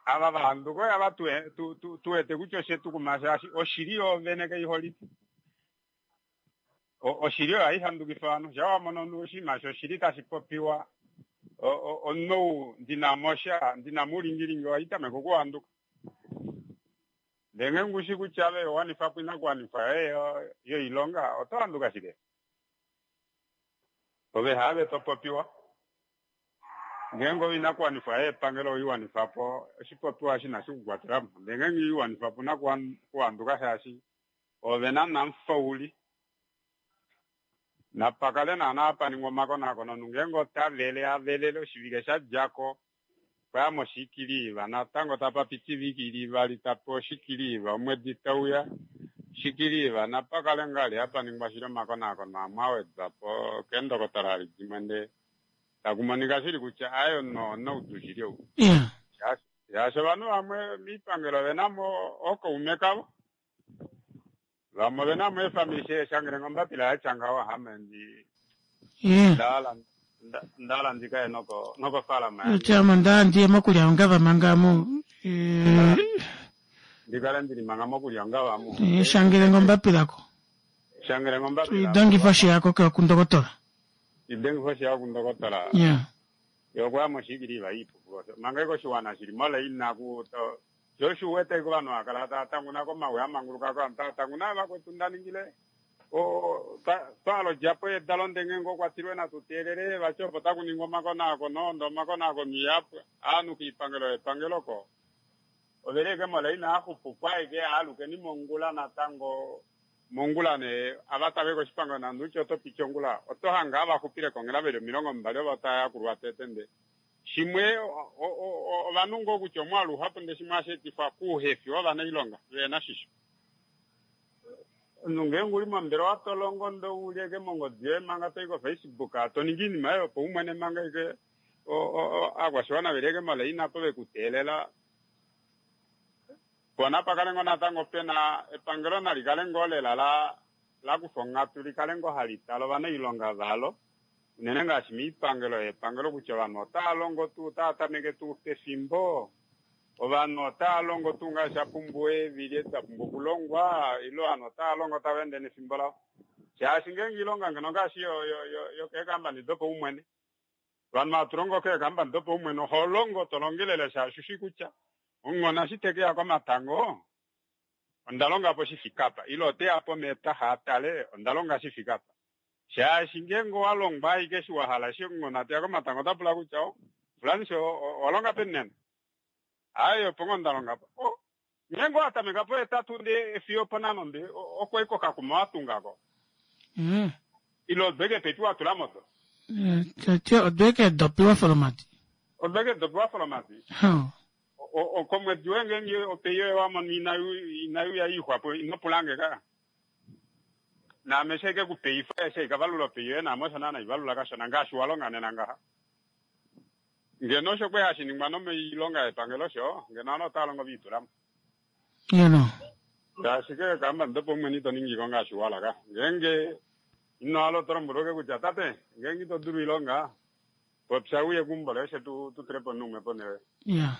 ava va handuka oyava tu wete kutya oshe tu kuma shaashi oshili yoovene kai holike. Oshili oyo hai handukifa ovanhu. Shaa wa mono omunhu oshinima shoshili tashi popiwa, omunhu ou ndi na mo sha, ndi na mo oulingilingi, ohai tameke okuhanduka. Ndele ngeenge u shii kutya ove owa wanifa po oinakuwanifwa yoye yoilonga, oto handuka shike? Ove haave to popiwa. Ngeenge oinakuwanifwa yoye yepangelo owei wanifa po, oshipopiwa eshi inashi ku kwatela mo. Ndele ngeenge ino i wanifa po, ou na okuhanduka shaashi ove naana omufauli. Napa kale naana hapa ningwa omakonakono omunhu ngeenge ota vele, a velele oshivike sha dja ko, okwa ya moshikiliiva, natango tapa piti oivike ili ivali ta pewa oshikiliiva, omwedi tau ya, oshikiliiva, napa kale ngaa li hapa ningwa shili omakonaakono amwe a wedwa po keendokotola dimwe ndee taku monika shili kutya aaye onoudu shili ou. Shaashi ovanhu vamwe miipangelo ove na mo ookaume kavo, vamwe ove na mo eefamili shangele ngo ombapila ya tya ngaho ame ndi nda hala ndi kaye noko nokofaalama yange. Tya ame onda hala ndiye mokulya ongava manga mu Ndi kale ndili manga mokulya ongava mu. Shangele ngo ombapila ko. Shangele ngo ombapila. Idengifa oshihako ke kundokotola. Idengifa oshihako kundokotola. Ye okwa ya moshiikiliva iipupu osho. Manga eke oshiwana shili molaina ku to sho osho u wete eke ovanhu hava kala tava tanguna komawi a manguluka ko ovanhu tava tanguna vakwetu nda ningile o twa hala odjapo yedalo nde ngeenge okwa tilwe natu teelele vati opo taku ningwa omakonaakono nde omakonaakono iha pwa ovanhu koipangelo yepangelo ko oveli eke molaina axupupo aeke aalukeni mongula natango Mongula nee, ava tava i koshipangelo nande utye oto piti ongula, oto hange ava xupile konghela ve li 20 ovo tava yakulwa tete. Nde shimwe, ovanhu ngoo kutya omwaalu uhapu nde shimwe ohashi etifwa kouhefi wovanailonga vehe na shisho. Omunhu ngeenge u li mombelewa to longo nde u li ashike mongodi yoye manga to i koFacebook to ningi oinima yoye yopaumwene manga ashike ovakwashiwana ve li ashike molaina opo ve ku teelela. Po napa kale ngoo natango pe na epangelo nali kale ngoo lela la la kufa onghatu li kale ngoo hali tale ovanailonga valo, unene ngaashi moipangelo yepangelo kutya ovanhu otava longo tuu, otava tameke tuu pefimbo, ovanhu otava longo tuu ngaashi sha pumbiwa eevili edi da pumbwa okulongwa, ile ovanhu otava longo tava ende nefimbo lavo. Shaashi ngeenge oilonga ngeno ngaashi yo yo yo yokeekambani dopaumwene, Ovanhu hatu longo keekambani dopaumwene oho longo to longelele shaashi ushi kutya omunghona eshi te ke ya komatango onda longa po shi fike apa ile ote ya pomeetaxa a tale onda longa shi fike apa. Shaashi ngeenge owa longwa ashike eshi wa hala eshi omunghona te ya komatango ota pula kutya oh fulani sho owa longa peni nena? Aaye opo ngoo nda longa po. Oh ngeenge owa tameka pohetatu ndee fiyo oponhano ndee oko eke okakuma wa tunga ko. Ile odweke pepi wa tula mo do? Tete odweke edopi wa folomati. Odweke edopi wa folomati? Okomwedi woye ngeenge opei yoye wa mono inai uya iixwapo ino pula nge ka. Naame eshi haike ku peifa eshi haika valula opei yoye naame osho naana haivalula kashona ngaashi wa longa nena ngaha. Ngeno osho kwali hashi ningwa nomoilonga yepangelo osho, ngeno ovanhu otava longo ve itula mo. Ngeno. Ngaashi ke kamba dopaumwene ito ningi ko ngaashi wa hala. Ngeenge ino hala oto lombwelwa ashike kutya tate, ngeenge ito dulu oilonga, popya uye keumbo loye fye tu tu tule po omunhu umwe ponhele yoye. Yeah.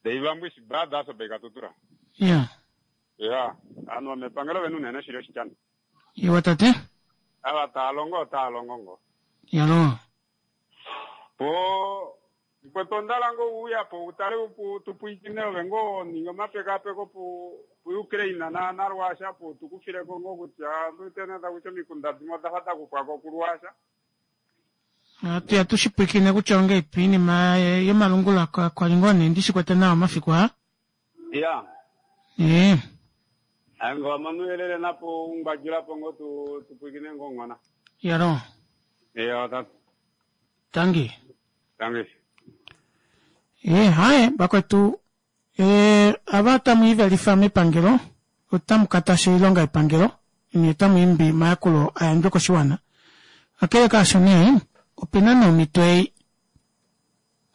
Deivambwisi Brothers opo ikatutura. Yeah. Yeah. Ovanhu vomepangelo vena unene shili oshityani. Iwa tate. Ava tava longo otava longo ngoo. Yaloo. Po mukwetu onda hala ngoo u uya po u tale u tu pwilikine ove ngoo ninge omapekapeko pu pu Ukraine na na Russia pu tu kufile ko ngoo kutya ondi wete nee taku ti omikunda dimwe oda fa da kufwa ko ku Russia. Ohatu ya tu shi pwilikine kutya ongeipi iinima yomalungula kwa li ngoo nee ndi shi kwete nawa omafiku aa. Ya. Ee. Aye ngoo wa mono ouyelele napo u ngwadjula po ngoo tu tu pwilikine ngoo nghona. Yalo. Eya tate. Tangi. Tangi. Ee, haye vakwetu ee, ava tamu ivelifa mepangelo otamu katasha oilonga yepangelo nye otamu imbi omayakulo a yandjwe koshiwana. Kakele kaasho nee, opena nee omhito ei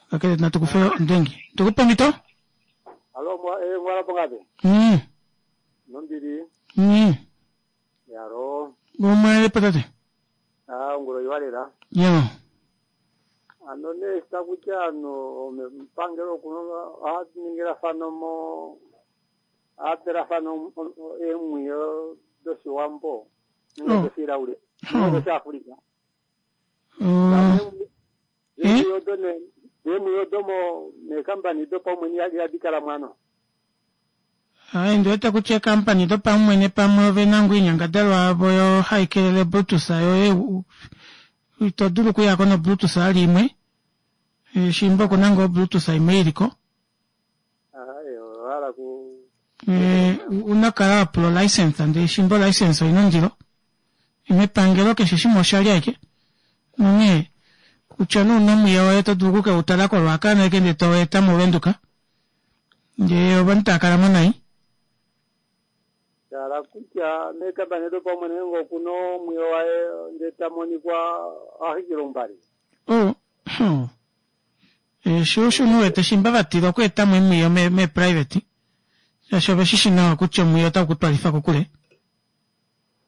Kakele natu kufe ondengi. Tukupe omhito? Alo, mwa, eh, mwala pongapi? Nombili. Yalo. Omwele po tate. Ah, ongula oiwa lela. Yo. Ano nee eshi taku ti ovanhu mepangelo oku ohava ningilafana mo ohava pelafana eemwiyo doshiwambo nenge Oh. doshilaule Oh. nenge doshiafrika. Oh. Eemwiyo odo nee eemwiyo odo mo meekambani dopaumwene ihadi kala mwano. Ai, ndi wete kutya eekampani dopaumwene pamwe ove na ngoo oinyangadalwa yavo yo hai kelele Brutus yoye ito dulu okuyako noBrutus ali imwe shimba oku na ngoo Brutus imwe ili ko. Ai, owa hala ku una kala wa pula olicense ndee shimba olicense oina ondilo mepangelo keshe shimwe oshali ashike nonghee kutya nee una omwiyo woye oto dulu oku ke u tala koRuacana ashike ndee to eta moVenduka ndee ovanhu tava kala mo nai. Sha hala kutya meekambani dopaumwene ngeenge oku na omwiyo waye ndee ta monikwa oha xwikile oumbale. Oh, oh. Sho osho u wete shimba va tila okweeta mo emwiyo meeprivate shaashi ove shi shi nawa kutya omwiyo otau ku twalifa kokule.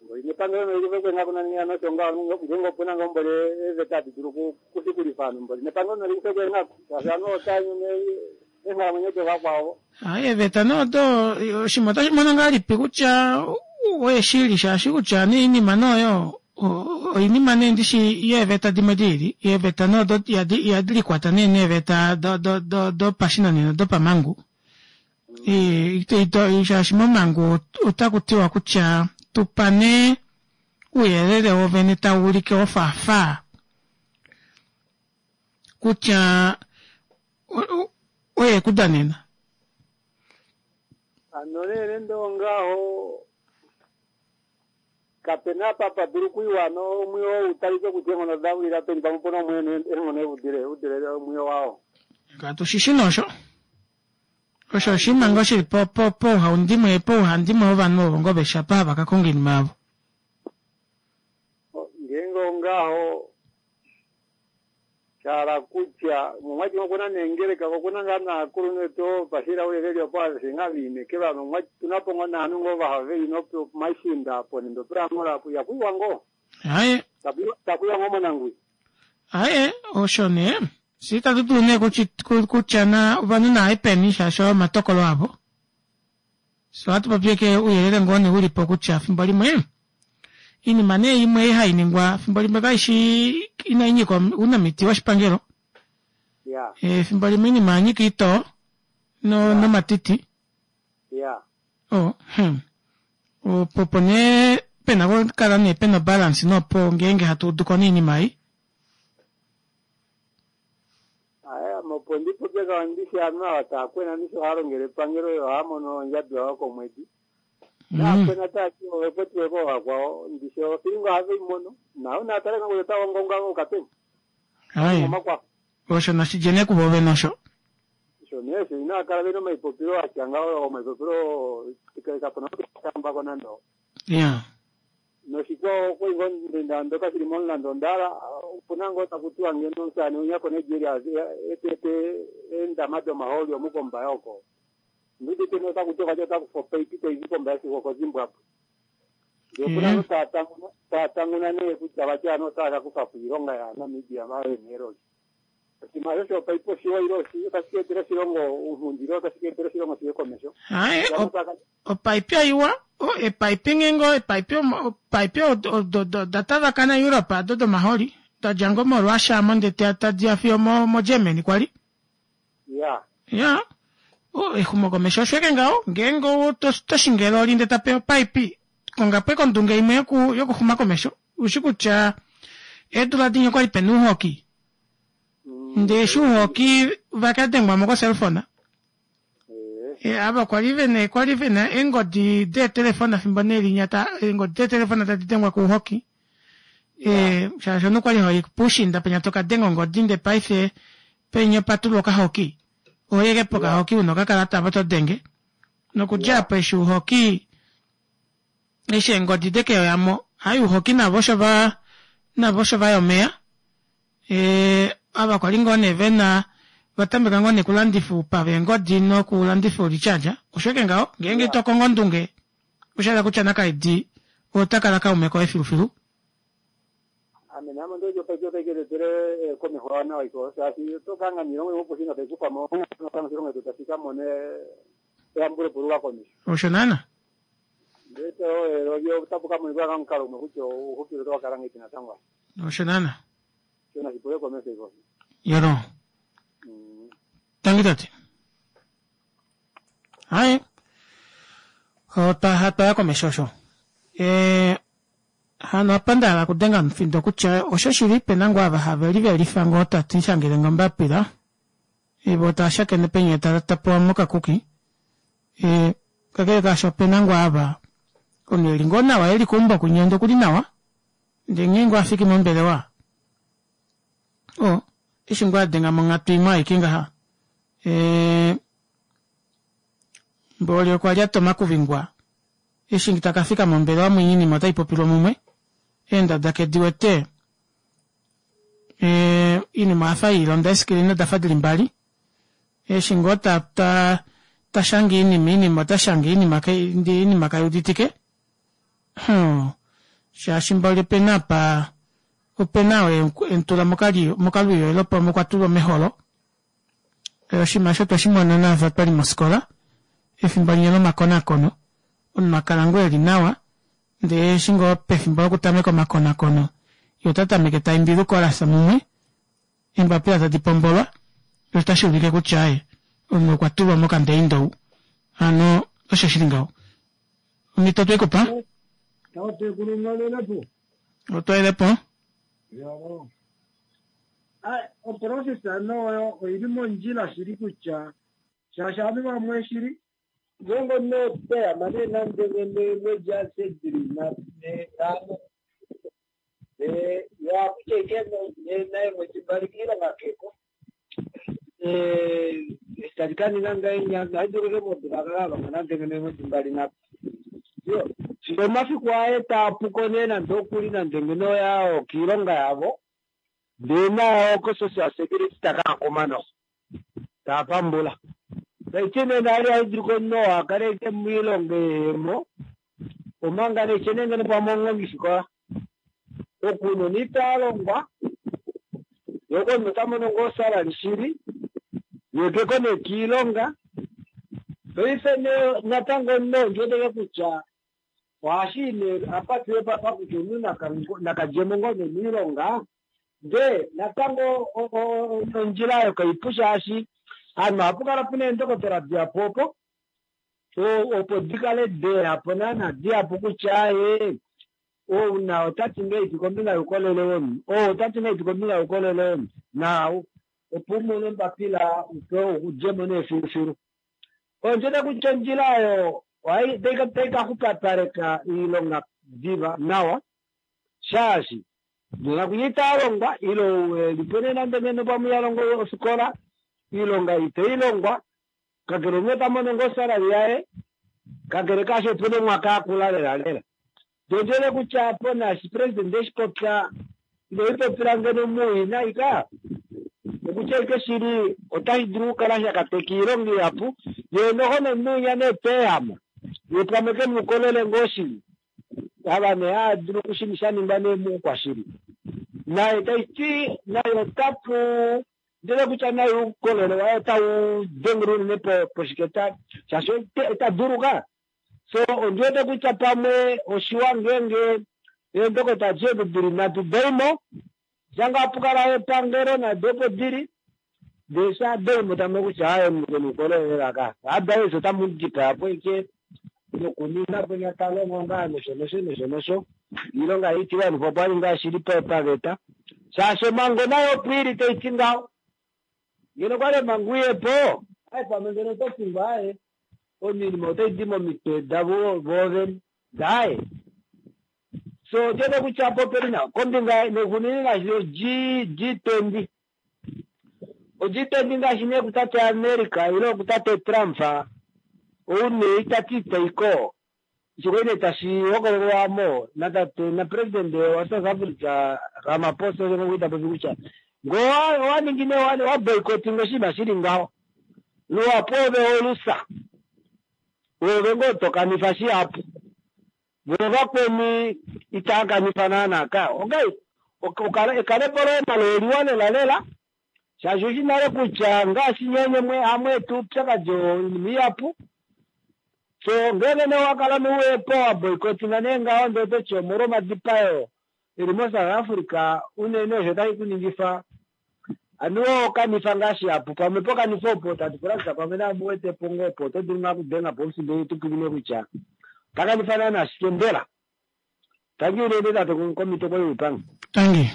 Mboli nepangelo noli kufe kweenghaku nani hano osho ngaho ngeenge opu na ngoo mboli eeveta hadi dulu okushikulifa ovanhu mboli nepangelo noli kufe kweenghaku shaashi ovanhu otava nyono eenghalamwenyo dovakwao. Hayi eeveta nee odo oshinima otashi mono ngahelipi kutya oye shili shaashi kutya nee oinima nee oyo oinima nee ndishi yeeveta dimwe diili eeveta nee odo ihadi likwata nee neeveta dopashinanena dopamangu shaashi momhangu otaku tiwa kutya tupa nee ouyelele wovene tau ulike wofaafaa kutya oye e ku danena. Hano nee nande ongaho, kape na apa pa dulu okuiwa hano omwiyo ou talike kutya eenghono oda wila peni pamwe opu na umwe e na eenghono e dule omwiyo wao. Katu shi shi nee osho. Osho oshinima ngoo shili po, po, pouhaundimwe, pouhandimwe wovanhu ovo ngoo veshi apa hava ka konga oinima yavo. Ngeenge ongaho, sha hala kutya, omwati oku na neengeleka, ko oku na ngaa naakulunhu vetu ovapashila ve li opo aveshe ngaa ve inekelwa hano omwati otu na po ngoo naanhu ngoo vaha ve li nopomaishiinda apo nende opulangola apo ihaku iwa ngoo. Aye. Taku iwa ngoo monanguwi. Aye, osho nee. Fye itatu dulu nee kutya na ovanhu naaye peni shaashi oyo omatokolo avo. Fye ohatu popi ashike ouyelele ngoo nee ulipo kutya fimbo limwe oinima nee imwe ei hai ningwa fimbo limwe kaishi inai nyika ounamiti woshipangelo. Efimbo limwe oinima oya nyika oitoo nomatiti. Oh, hmm. Opo opo nee pena okukala nee pena obalance nopo ngeenge hatu udu ko noinima ei. Aye, ame opo ndi popye ngaho ndishi ovanhu ava tava kwena ndishi ohava longele epangelo yo ohava mono ondjabi yavo yokomwedi. Nava kwena tava ti ove kwetiwe koovakwao ndishi ofilinga ohave i mono. Naau naa tale ngoo kutya otava ungaunga va yuka peni. Aye, Omakwafo. osho nashi dje nee kuvo vene osho. Osho nee osho inava kala ve na omaipopilo a tya ngaho, omaipopilo oo kapu na ou te a taamba ko nande. Ya. Noshikwao okwali ngoo nda ndoka shili momulandu onda hala opuna ngoo taku tiwa ngeno omusaane winya koNigeria etete eendama domahooli omu kOmbaye oko. Ondi udite nee otaku tiwa vati ota kufa opaipi tai di kOmbaye fiyo okoZimbwabwe. Ndee opuna ngoo taa tanguna taa tanguna nee kutya vati ovanhu otava ka kufa po oilonga yaaNamibia ava vene eeloli. Oshinima osho shopaipi oshiwa ile oshii otashi ka etela oshilongo ounghundi ile otashi ka etela oshilongo shiye komesho. Haye, opaipi oiwa, eepaipi ngeenge eepaipi opaipi odo da tavakana Europe ado domaholi da dja ngoo moRussia amo ndele tadi ya fiyo moGermany kwali. Ya. Ya. Exumokomesho osho eke ngaho ngeenge oto shingi eloli ndele tape opaipi konga po ondunge imwe yokuxuma komesho ushi kutya eedula dinya okwali pena uuhoki ndee eshi uuhoki vaka dengwa mo koselfona ava kwali vena kwali vena eengodi deetelefona fimbo nee linya ta eengodi deetelefona tadi dengwa kouhoki shaashi omunhu kwali hoi puushinda penya toka denga ongodi nde paife penya opa tulwa okahoki ohoyeke pokahoki una okakalata apo to denge nokudja apo eshi uuhoki eshi eengodi dekeyoya mo hai uuhoki navo osho va navo osho vaya omeya e, ava kwali ngoo nee vena vatameka ngoo nee kulandifa oupa veengodi nokulandifa oulicharger osho eke ngaho ngeenge to kongo ondunge osha hala kutya nakaidi ota kala kaume koye filufilu. otayi ke etele komeho nawa iko shaashi oto ka anga niilongo imwe opo tayi kufa mo oshilongo shetu tashi ka mone eyambulepo luka komesho. Osho naana. Ndele olyo otapu ka monika omukalo umwe kutya ouxupilo otau ka kala ngahelipi natango. Osho naana. Sho nashi pule komesho iko. Yoro. Tangi tate. Hayi. Otwa hatwa komesho osho. Hano apa nda hala okudenga omufindo kutya osho shili pena ngoo ava have livelifa ngoo tati shangele nge ombapila vo tava shakene penya ta pewa mokakuki kakele kaasho opena ngoo ava omunhu eli ngoo nawa eli keumbo kunya ndee okuli nawa ndee nghee ngoo afiki mombelewa o eshi ngoo adenga monghatu imwe aike ngaha mboli okwa lyata omakuvingwa Eshi ta ka fika mombelewa mwinya oinima otai popilwa mumwe, eendada ke di wete, oinima oya fa ye i londa eescreen oda fa di li mbali. Eshi ngoo ta ta ta shange oinima, oinima ota shange oinima ndee oinima kai uditike. Hum, shaashi mboli ope na apa, ope na oo e mu tula mokalwiyo ile pamwe okwa tulwa meholo. Oshinima osho otwe shi mona naava twa li mofikola efimbo linya lomakonakono. Omunhu a kala ngoo e li nawa ndee eshi ngoo pefimbo lokutameka omakonakono ye ota tameke ta imbi lukolasa mumwe eembapila tadi pombolwa osho otashi ulike kutya aaye omunhu okwa tulwa mokandeindou. Hano osho shi li ngaho. Omhito otwe ku pa? Tatekulu mwalelepo. Otwa po. Oprofesa noyo oili mondjila shili kutya shaashi ovanhu vamwe shili ngeenge omunhu oteya nee nande ngeno eemwedi adishe dili nhano ye akutya ashike eemwedi mbali kiilonga keko eshi tali ka ninga ngahenya ohali dulu ashike modula a kale a longa nande ngeno eemwedi mbali nhatu. Fiyo omafiku aye taa puko nee nande okuli nande ngeno oya okiilonga yavo ndee naye oko social security taka kuma noho taa pambula. Taiti nee nale ohali dulu komunhu oo a kale ashike moilonga ehemo omanga nee shene ngeno pamwe omuhongifikola okunona ita longwa ye omunhu ota mono ngoo salary shili ye keko nee kiilonga. Paife nee natango omunhu ondi wete kutya ohashi nee apa tuye papa kutya omunhu nakadjemo ngoo nee miilonga ndee natango ondjila oyo kaipu shaashi ovanhu ohapu kala puna eendokotola dihapu opo opo dikale deyapo naana dihapu kutya ee ouna otati ngahelipi kombinga youkolele womunhu ou otati ngahelipi kombinga youkolele womunhu naau opo umone ombapila upewe udjemo nee filufilu. Ondi wete kutya ondjila oyo otai ka xupapaleka oilonga diva nawa shaashi nena kunya itaa longwa ile ou nee nande ngeno pamwe iha longo ofikola oilonga itei longwa kakele omunhu ota mono ngoo osalary yaye kakele kaasho opena omwaka akula lela lela. Ndee ondi wete kutya apo naashi president eshi popya ine lipopila ngeno muwina ika okutya ike shili otashi dulu okukala sha kateka oilonga ihapu yee noho nomunhu winya nee teehama ye pamwe kemukolele ngoo shili ava nee haadulu okushini sha ningwa nee moukwashili naye taiti naye otapu ndele kutya naye oukolele waye otau dengele unene poshiketa shaashi ita duluka. So ondi wete kutya pamwe oshiwa ngeenge eendokota adishe odo dili nhatu daimo shanga hapu kala epangelo nado opo dili ndee sha daimo tamu kutya aye omunhu kena oukolele lela ka otherwise otamu dipaya po ike nokuninga po nyatalongo ngaa nosho nosho nosho nosho iilonga itiwanifwa po ali ngaa shili paveta shaashi omhango nayo opo ili taiti ngaho ngeno kwali omhango iyepo aye pamwe ngeno oto fingwa aye oinima otai di momitwe davo voovene daye. So otiwete kutya apo opeli nawa kombinga nekunini ngaashi o G20 o G20 ngaashi nee kutate America ile kutate Trump ou nee itati itaiko osho nee tashi hokololwamo natate na president wa South Africa Ramaphosa osho ngo ita popi kutya ngoo owaningi nee wa boycotting oshinima shili ngaho luhapu ove olusa ove ngoo tokanifa shihapu vo vakweni itaa kanifa naana ka okay. Ekalepo loye nalo oliwa lela lela shaashi ushi nale kutya ngaashi nyenye mwe hamwe etu oupyakadi oinima ihapu. So ngeenge nee owa kala nouwepo wa boycottinga nee ngaho ndee ototi omolwa omadipayo eli mo South Africa unene osho tashi kuningifa anuwa okanifa ngaa shihapu pamwe pokanifa opo tatu pula kutya pamwe naa muwetepo ngoo opo oto dulu ngaa okudenga po omufindo tu pwilikine kutya takanifa naana shike mbela. Tangi unene tate komito koyuupanga. Tangi.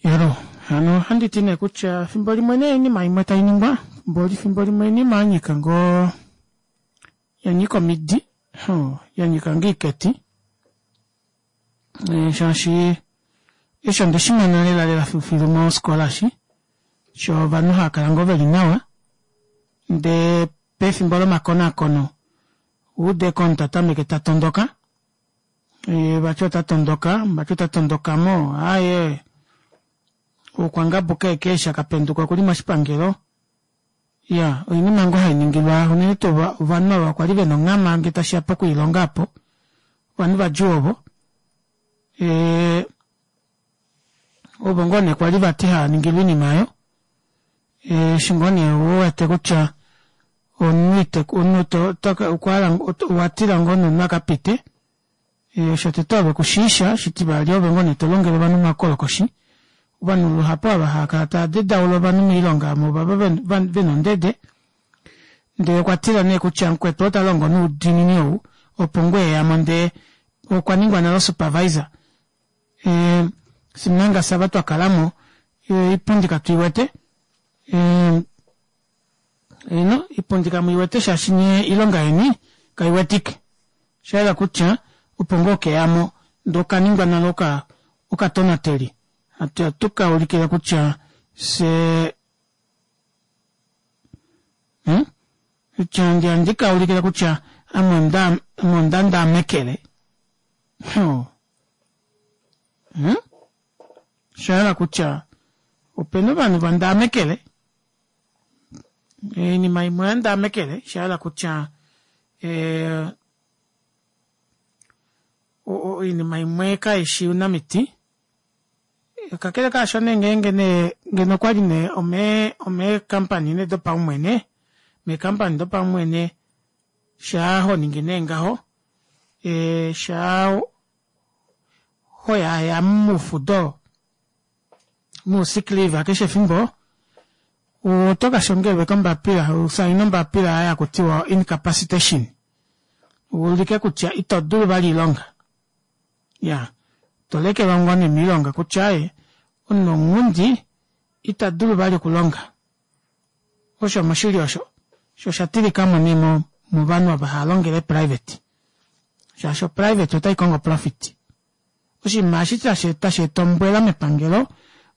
Yalo, hano ohandi ti nee kutya fimbo limwe nee oinima imwe tai ningwa, mboli fimbo limwe oinima ya nyika ngoo ya nyika omidi, ya nyika ngoo iketi. Eh, shaashi eshi onde shi mona lela lela filufilu mosikola shi sho ovanhu hava kala ngoo veli nawa ndee pefimbo lomakonakono ude ko omunhu ta tameke ta tondoka eh, vati ota tondoka vati ota tondoka mo aye uukwangabu keeke eshi akapenduka okuli moshipangelo ya oinima ngoo hai ningilwa unene tuu ovanhu ava kwali vena onghama nge tashiya pokwiilonga apo ovanhu vadjuu ovo e, ovo ngoo nee kwali vati hava ningilwa oinima oyo eshi ngoo nee u wete kutya omunhu ite omunhu to to okwa owa tila ngoo nomunhu a ka pite shotete ove ku shiisha shitivali ove ngoo nee to longele ovanhu omakolokoshi ovanhu luhapu ava hava kala tava dedaula ovanhu moilonga omo ovava vena ondede ndee okwa tila nee kutya mukwetu ota longo noudiinini ou opo ngoo eyamo ndee okwa ningwa nale supervisor e, simanga sava twa kalamo iipundi katu i wete e, ino iipundi kamu i wete shaashi nye iilonga yeni kai wetike sha yela kutya opo ngoo keyamo ndee okaningwa nale oka okatonateli hatu ya tuka ulikile kutya se hmm? kutya ndi ka ulikile kutya ame onda ame onda ndaamekele hmm? Osha yela kutya opena ovanhu va ndaamekele oinima imwe oya ndaamekele sha yela kutya eh, oinima imwe kaishi unamiti kakele kaasho nee ngeenge nee ngeno okwali nee ome omeekampani nee dopaumwene meekampani dopaumwene shaa ho ningi nee ngaho e, shaa hoyaaya mufudo mu sick leave keshe efimbo oto ka shongelwe kombapila usaine ombapila ya kutiwa incapacitation uulike kutya ito dulu vali iilonga ya to lekelwa ngoo nee miilonga kutya ye omunhu omunghundi ita dulu vali okulonga osho moshili osho sho osha tilikamo nee movanhu ava hava longele private shaashi oprivate otai kongo profit Oshinima eshi tashi eta ombwela mepangelo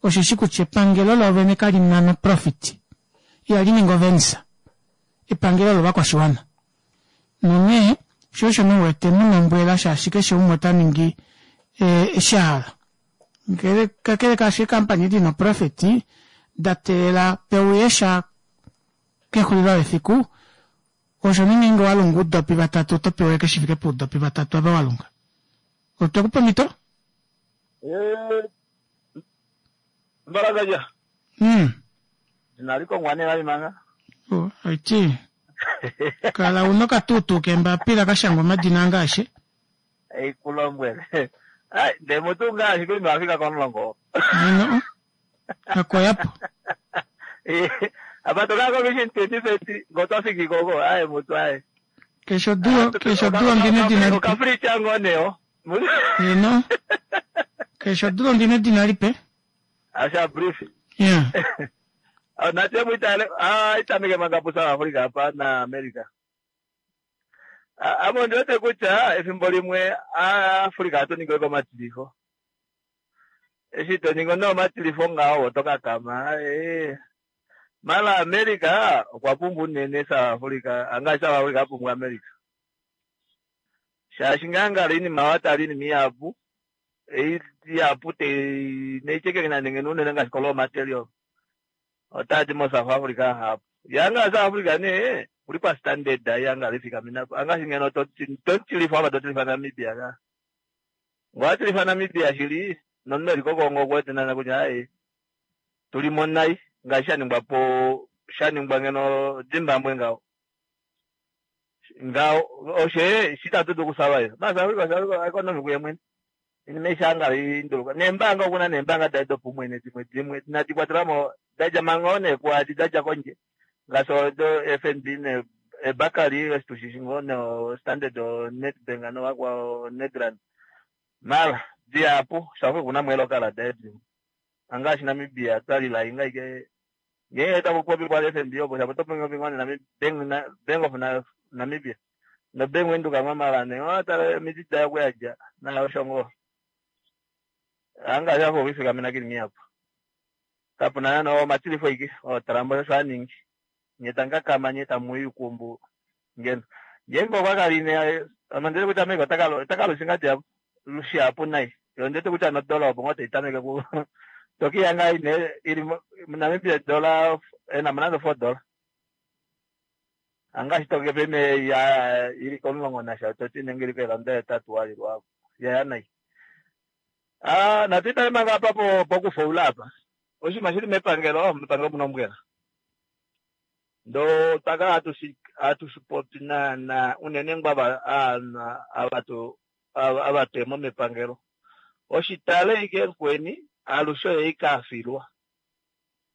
osheshi kutya epangelo loovene kali na noprofit, ihali ningi ovenisa. Epangelo olovakwashiwana. Nonghee sho osho nee u wete mu na ombwela shaashi keshe umwe ota ningi eshi a hala. Ngele kakele kaasho eekampani di na oprofit da teelela pe uye sha kexulilo lefiku, osho nee ngeenge owa lunga oudopi vatatu oto pewa ashike shi fike poudopi vatatu ava wa lunga. Otwe ku pa omhito? Eh, Mbalakaja. Inali kongwa nee vali manga. Oh, aiti. Kala una okatuutuu keembapila ka shangwa omadina ange aeshe. Ei ku lombwele. Ai, ndee mutu ngaa ashike ino fika komulongo. Ino. Akoyapo. Apa to ka commission 2030 ngo twa fiki koko aye mutu aye. Keshe odula keshe odula ondina edina lipe. Okafricha ngoo neo. Ino. Keshe odula ondina edina lipe. Asha brief. Yeah. Nate muitale ah itameke manga pu South Africa apa na America. Ame ondi wete kutya efimbo limwe Africa ohatu ningilwe komatilifo. Eshi to ningi nee omatilifo ngaho oto kakama. Ee. Mala America okwa pumbwa unene South Africa, angaashi South Africa a pumbwa America. Shaashi ngaa ngalo oinima wa tala oinima ihapu, ei ihapu te neichekenge nande ngeno unene ngaashi ko raw material otaa di mo South Africa ahapu. Ya ngaa South Africa nee okuli pa standard ya ngalo ifikamena po. Angaashi ngeno to to tilifa apa to tilifa Namibia ka. Ngoo atilifa Namibia shili nomunhu eli kOkongo oku wete naana kutya aaye tuli mo nai ngaashi sha ningwa po sha ningwa ngeno Zimbabwe ngaho. Ngaho oshe shi tatu dulu okusurvive. Ma South Africa, South Africa economy kuye mwene. Inima ei shanga induluka. Neembaanga okuna neembaanga daye dopumwene dimwe dimwe inadi kwatelwa mo da dja manga oo nee kwaadi da dja kondje ngaashi odo FNB ne eBarclay eshi tushishi ngoo no Standard oNedbank novakwao Nedran. Mara dihapu South Africa okuna mo eelokala daye dimwe. Angaashi Namibia twa lila inga ike ngeenge taku popi kwa FNB opo shapo to popi ngoo ne Bank of Namibia no Bank Windhoek mwa mara ne owa tala omiti daye oku yadja nayo osho ngoo. Angaashi afa okwifikamena kili mihapu. Kapuna nande omatilifo ike oo Trump osho a ningi. Nye tamu kakama nye tamu ikumbu ngeno. Ngeenge okwa kala ine ame onditi kutya America ota ka lusha ngadi lushihapu nai. Yo onditi kutya nodola opo ngoo taitameke ku tokiya ngaa ine ili Namibia dola ena mo nande $4. Angaashi toke peme ya ili komulongo nasha toti nenge ili keelanda hetatu walilwa yaya nai. Ah, natu itale manga apa po pokufaula apa. Oshinima shili mepangelo, mepangelo muna ombwela. Ndo twakala hatu shi popi naana unene ngoo ava ava twemo mepangelo. Oshitale ike mukweni alushe oye ike afilwa.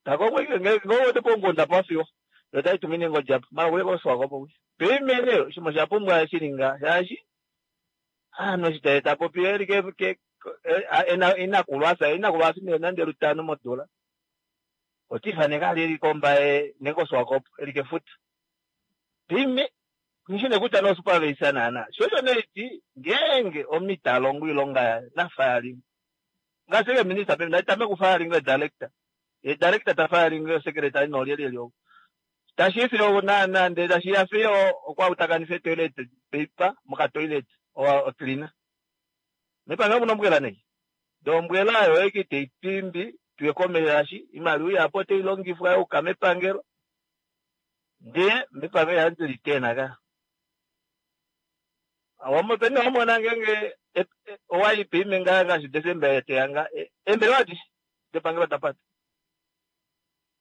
Tako ngenge wete pomukunda pwafiwa. Yo tai tumine ngodjapo. Mara kuye koSwakopo kuya. Peimene oshinima osha pumbwa shilinga shaashi aanhu eshi ta popi eli ke ena inakulu asa inakulu afi nande lutano modula. Otifaneka ali eli kombaye nenge koSwakopo eli kefuta. Pime nishine kutya no supervisor naana. Shosho neiti ngeenge omunhu ita longo oilonga yaye na firing. Ngaashi ke minister peme naitame ku firing e director. E director ta firing e secretary no lyelyelyo. Tashi fiyo naana ndele tashi ya fiyo okwa utakanifa toilet paper moka toilet o cleaner. Mepangelo muna ombwela nei. Ndee ombwela oyo eke teipimbi tuye komesho imaliwa ihapu otai longifwa yuka mepangelo. Ndee mepangelo ihandi litena ka. Peni wamona ngeenge owai peime ngaa ngaashi December teya nga eembelewa adishe depangelo dapata.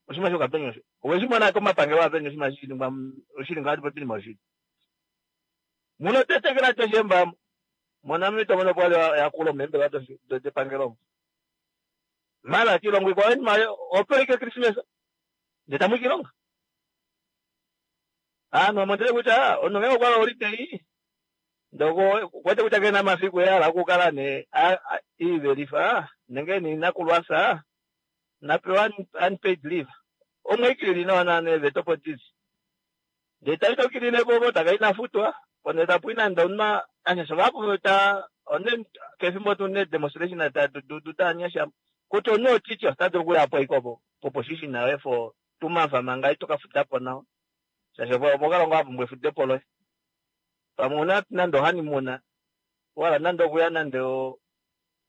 Oshinima shokapenya osho. Oweshi mona komapangelo apenya oshinima shiningwa oshili ngaa popi oshili. Muno tetekela toshemba moNamibia tomono pwali yakulo meembelewa depangelo. Mara kiilongo ikwao inima opo ike Christmas ndee tamu kiilonga. Aanhu omondele kutya omunhu ngenge okwa holiday ndoko kwete kutya kena mafiku ehala okukala ne iivelifa nenge niinakulu asa napewa unpaid leave. Omweikilili nawa naana eeveta opo dili. Ndee tai tokilile po taka inafutwa ponde tapu nande omunhu anyasha vahapu ta one kefimbo tu ne demonstration ta dudu ta anyasha kutya omunhu oticha ota dulu okuya po ike opo position yoye for 2 months manga ito ka futa po nawa. Shaashi opo kalongo a pumbwa efudepo loye. Pamwe una nande honeymoon wala nande okuya nande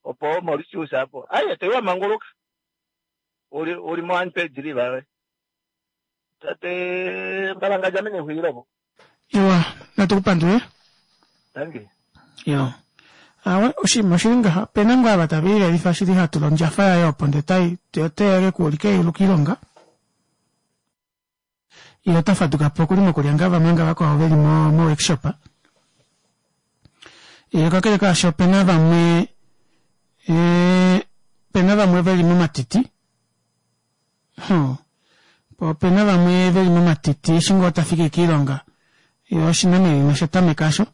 opo Mauritius apo. Aye toiwa manguluka. Uli mo unpaid leave yoye. Tate Mbalanga jamene xwiilo po. Iwa, natu kupandule. Thank you. Yo. Awe oshinima oshili ngaha opena ngoo ava tava ilelifa shili hatula ondjafa yaye opo ndee tai teyele kuulika eyulu kiilonga. Ye ota faduka po okuli mokulya ngaa vamwe nga vakwao veli mo workshop. Ye kakele kaasho opena vamwe opena vamwe veli momatiti. Opena vamwe veli momatiti eshi ngoo tafiki kiilonga. Ye oshinamwenyo osha tameka asho.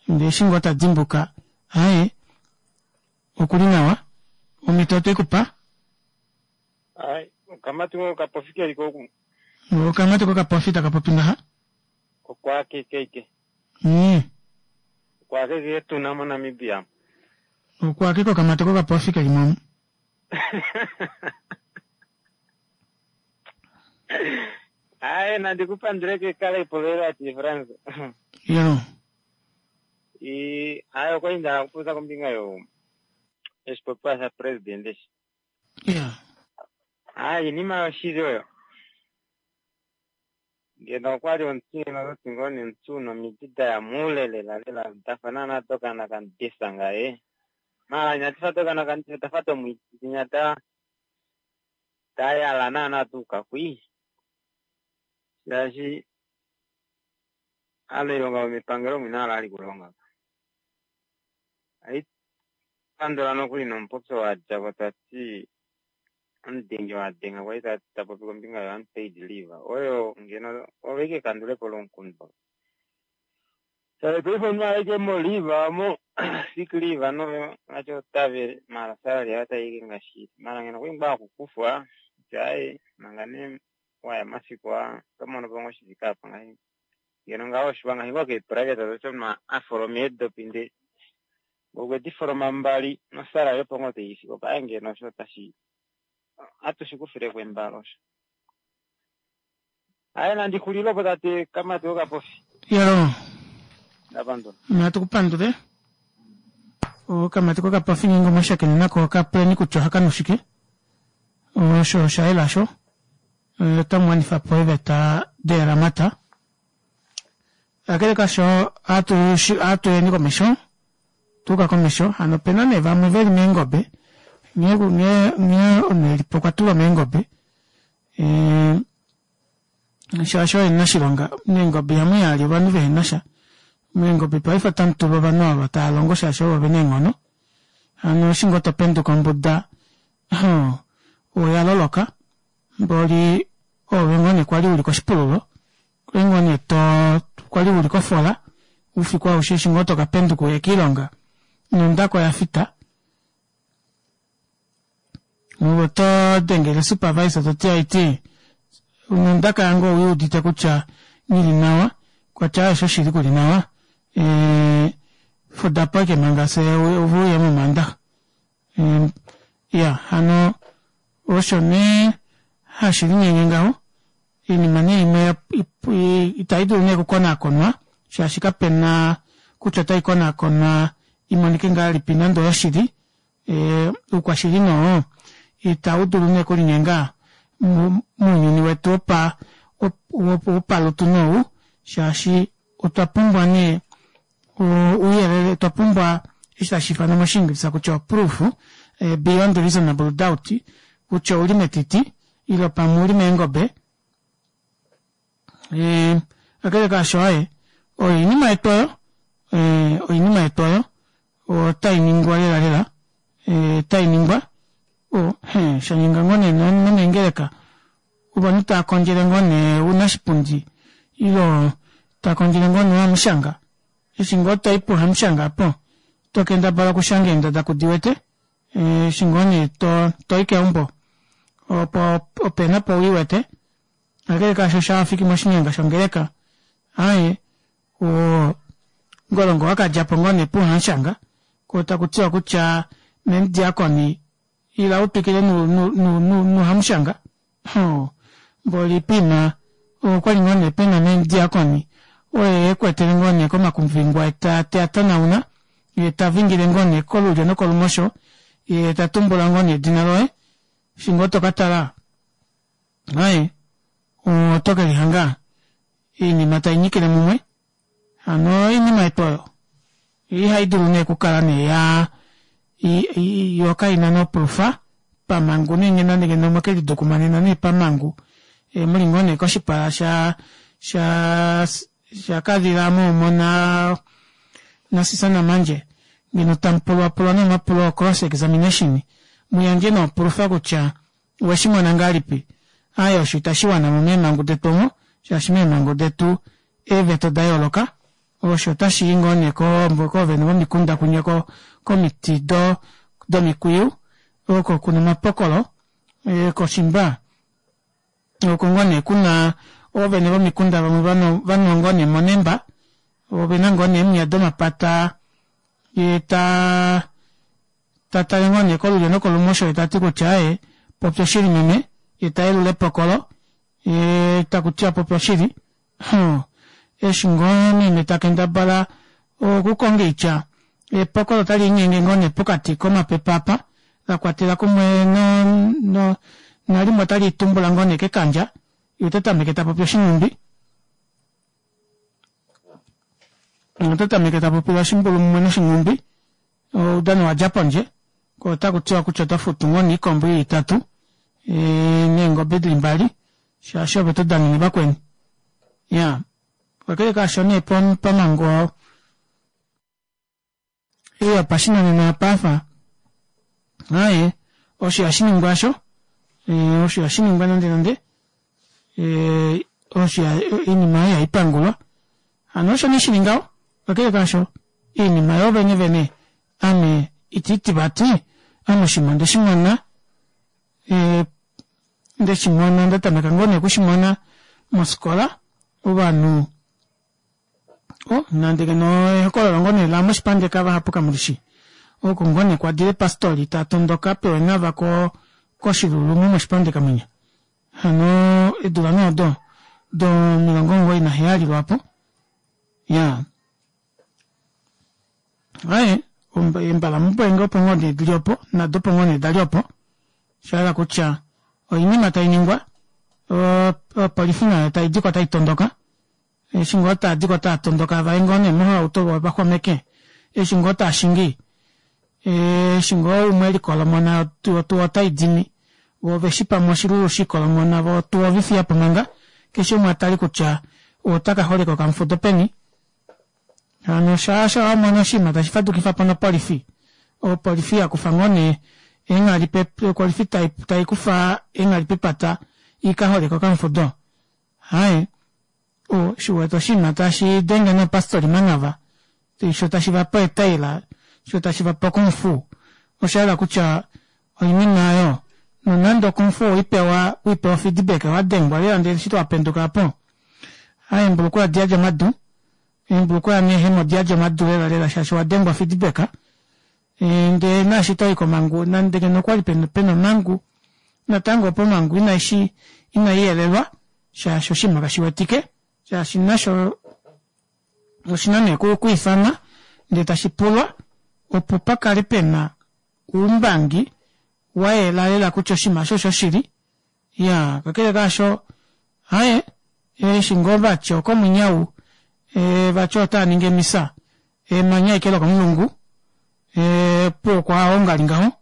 Ndee eshi ngoo tadimbuka aye okuli nawa. Omhito otwe kupa. Ai, okamati ko kapofi keli koku. Okamati ko kapofi taka popi ngaha. Okwa kekeke. Okwa keke tuna moNamibia. Okwa keke okamati ko kapofi keli mo. Ai, nandi kupandule ke kale ipolela ti France. Yo. I ai okwa inda kupuza kombinga yo eshipopiwa sha president eshi. Yeah. Ai, inima yoshili oyo. Ngeno okwali omuti nototi ngoo nemuti una omidi daya muule lela lela dafa naana dokana kamudisa ngaye. Mara inati fa tokana kanti tafa tomwitinya ta tayala naana tuuka kwi shaashi aanailonga yomepangelo omwina ala ali kulonga ayi pandula nokuli nomupopyo wa djako tati omudenge wa denga kwali ta popi kombinga yo unpaid leave oyo ngeno ove ike kandulepo lomukundu. Shaashi paife omunhu aleke mo leave mo sick leave no vati otave mara salary yaye otayi ike ngaashi mara ngeno kwali ngoo akukufwa kutya aaye manga nee waya mafiku aa oto mono po ngoo shifike apa ngaashi ngeno ngaho oshiwa ngaashi ngoo keeprivate toti omunhu a foloma eedopi ndee okwe di foloma mbali nosalary opo ngoo taifiki opo aaye ngeno osho otashi atushi kufileko embalo osho. Aye nandi xulile opo tate Kamati wokapofi. Yalo. Ndapandula. Natu kupandule. Okamati kokapofi ngeenge omwashakene nako kapuleni kutya ohaka nu shike. Osho osha yela sho. Otamu wanifa po eeveta deeramata. Kakele kasho ohatu yeni komesho. Tuuka komesho. Hano opena nee vamwe veli meengobe. Nghee nghee omunhu elipo okwa tulwa meengobe. Shaashi oye omunashilonga. Meengobe ihamu yali ovanhu vehena sha. Meengobe paife otamu tulwa ovanhu ava tava longo shaashi ovo vena eenghono. Hano eshi ngoo topenduka ombuda oya loloka mboli oove ngoo nee kwali uli koshipululo kwali ngoo nee to kwali uli kofola oufiku aushe eshi ngoo toka penduka uye kiilonga nondaka oya fita Ove oto dengele supervisor to ti aiti nondaka yange owi udite kutya nghi li nawa kwatya osho shili ku li nawa e, fuda po eke manga se ove uye momandaxa e, ya hano osho nee hashi linyenge ngaho Oinima nee imwe itai dulu nee okukonaakonwa shaashi kape na kutya otai konaakonwa i monike ngahelipi nande oyoshili. Oukwashili nee oo itau dulu nee okulinyenga mounyuni wetu wopalutu nee ou shaashi otwa pumbwa nee ouyelele, otwa pumbwa eshi tashi ifanwa mOshiingilisa kutya oproof beyond reasonable doubt kutya ouli metiti ile pamwe uli meengobe. Kakele kaasho aye oyo oinima yetu oyo, oinima yetu oyo otai ningwa lela lela, otai ningwa shanyenga ngoo nee nomeengeleka ovanhu tava kondjele ngoo nee ounashipundi ile ta kondjele ngoo nee hamushanga eshi ngoo toi puhamushanga apo oto kendabala okushanga eendada kudiwete eshi ngoo nee to toi keumbo opo opena po wiwete kakele kaasho sha wafiki moshinyanga shongeleka aaye oo ngolongo wakadja po ngoo nee puhamushanga ko taku tiwa kutya memudiakoni ila u twikile nuhamushanga mboli pina okwali ngoo nee pena memudiakoni oye ekwetele ngoo nee komakumvingwa ta te a tanauna ye ta vingile ngoo nee kolulyo nokolumosho ye ta tumbula ngoo nee edina loye eshi ngoo to ka tala aye oto ke lihanga oinima tai nyikile mumwe hano oinima yetu oyo ihai dulu nee okukala nee ya yo kaina noprufa pamangu nenge nande ngeno omwe lidukumanena nee pamangu e, muli ngoo nee koshipala sha sha sha kadhila moomo na nasisana manje ngeno tamu pulwapulwa nomapulo cross examination muyandje noprufa kutya oweshi mona ngahelipi aaye osho itashi wana mo meemhangu detu omo shaashi meemhangu detu eeveta oda yooloka osho otashi i ngoo nee koovene vomikunda kunye komiti do domikwiyu oko kuna omapokolo e, koshimba oko ngoo nee kuna oovene vomikunda vamwe vanwa ngoo nee monemba ovena ngoo nee emiya domapata ye ta ta tale ngoo nee kolulyo nokolumosho ye ta ti kutya aye popya oshili meme ye ta yelula epokolo ye taku tiwa popya oshili Hum, eshi ngoo meme ta kendabala okukonga oitya, epokolo otali linyenge ngoo nee pokati komapepe apa, la kwatela kumwe no, no, nalimwe otali tumbula ngoo nee kekandja, ye ota tameke ta popi oshinghumbi. Ota tameke ta popile oshimbulu mumwe noshinghumbi. Oudano wadja pondje ko otaku tiwa kutya oto futu ngoo nee oikombo ili itatu neengobe dili mbali shaashi ove to danene vakweni. Iyaa kakele kaasho nee pamango ei yopashinanena yopaife aaye osho ihashi ningwa osho, osho ihashi ningwa nande nande osho oinima oyo ihai pangulwa hano osho nee shili ngaho kakele kaasho iinima yoo vene vene ame itiiti vati ame oshinima onde shimona ndeshimona ndatameka ngoo nee okushimona mofikola ovanhu oh nande ngeno ehokololo ngoo nee lamoshipandeka vahapu kamulishi oko ngoo nee kwadile pastori ta tondoka pewenava ko koshilulume moshipandeka mwinya hano eedula nee odo do 97 lwaapo iyaa Aaye, eembalamupwenge opo ngoo nee dili opo, nado opo ngoo nee dali opo. Osha hala kutya oinima tai ningwa, opolifi nayo tai diko tai tondoka. Eshi ngoo taa diko taa tondoka vaye ngoo nee mohauto vo vaxwameke, eshi ngoo taa shingi, eshi ngoo umwe elikolomona otuwa otai dimi, vo oveshi pamwe oshilulu shikolomona vo otuwa ovefiyapo manga, keshe umwe atale kutya otaka holeka okamufudo peni. Hano shaasho wa mona oshinima tashi fadukifa po nopolifi, opolifi ya kufa ngoo nee eenghali pe, opolifi tai, tai kufa eenghali pepata i ka holeke okamufudo. Haye, o, shi wete oshinima tashi denge noopastori manava, sho tashi va pe eetaila, sho tashi va pe okungfu, osha hala kutya oinima oyo, nonande okungfu owei pewa, wei pewa ofeedback, wa dengwa lela ndele eshi wa penduka opo, Aa eembulukweya odi yadi omadu, eembulukweya neehema odi yadi omadu lela lela shaashi owa dengwa feedback. Ndee naashi to i komhangu nande ngeno okwali pena omhangu natango opo omhangu inaishi inai yelelwa shaashi oshinima kashi wetike shaashi nasho oshina nee okwiifanwa ndee tashi pulwa opo pa kale pena oumbangi wa yela lela kutya oshinima osho oshoshili. Iyaa, kakele kaasho, aye, eshi ngoo vati okomunyau, e, vati otaa ningi emisa, emanya ashike lokomulungu, e, opuwo okwa ongali ngaho,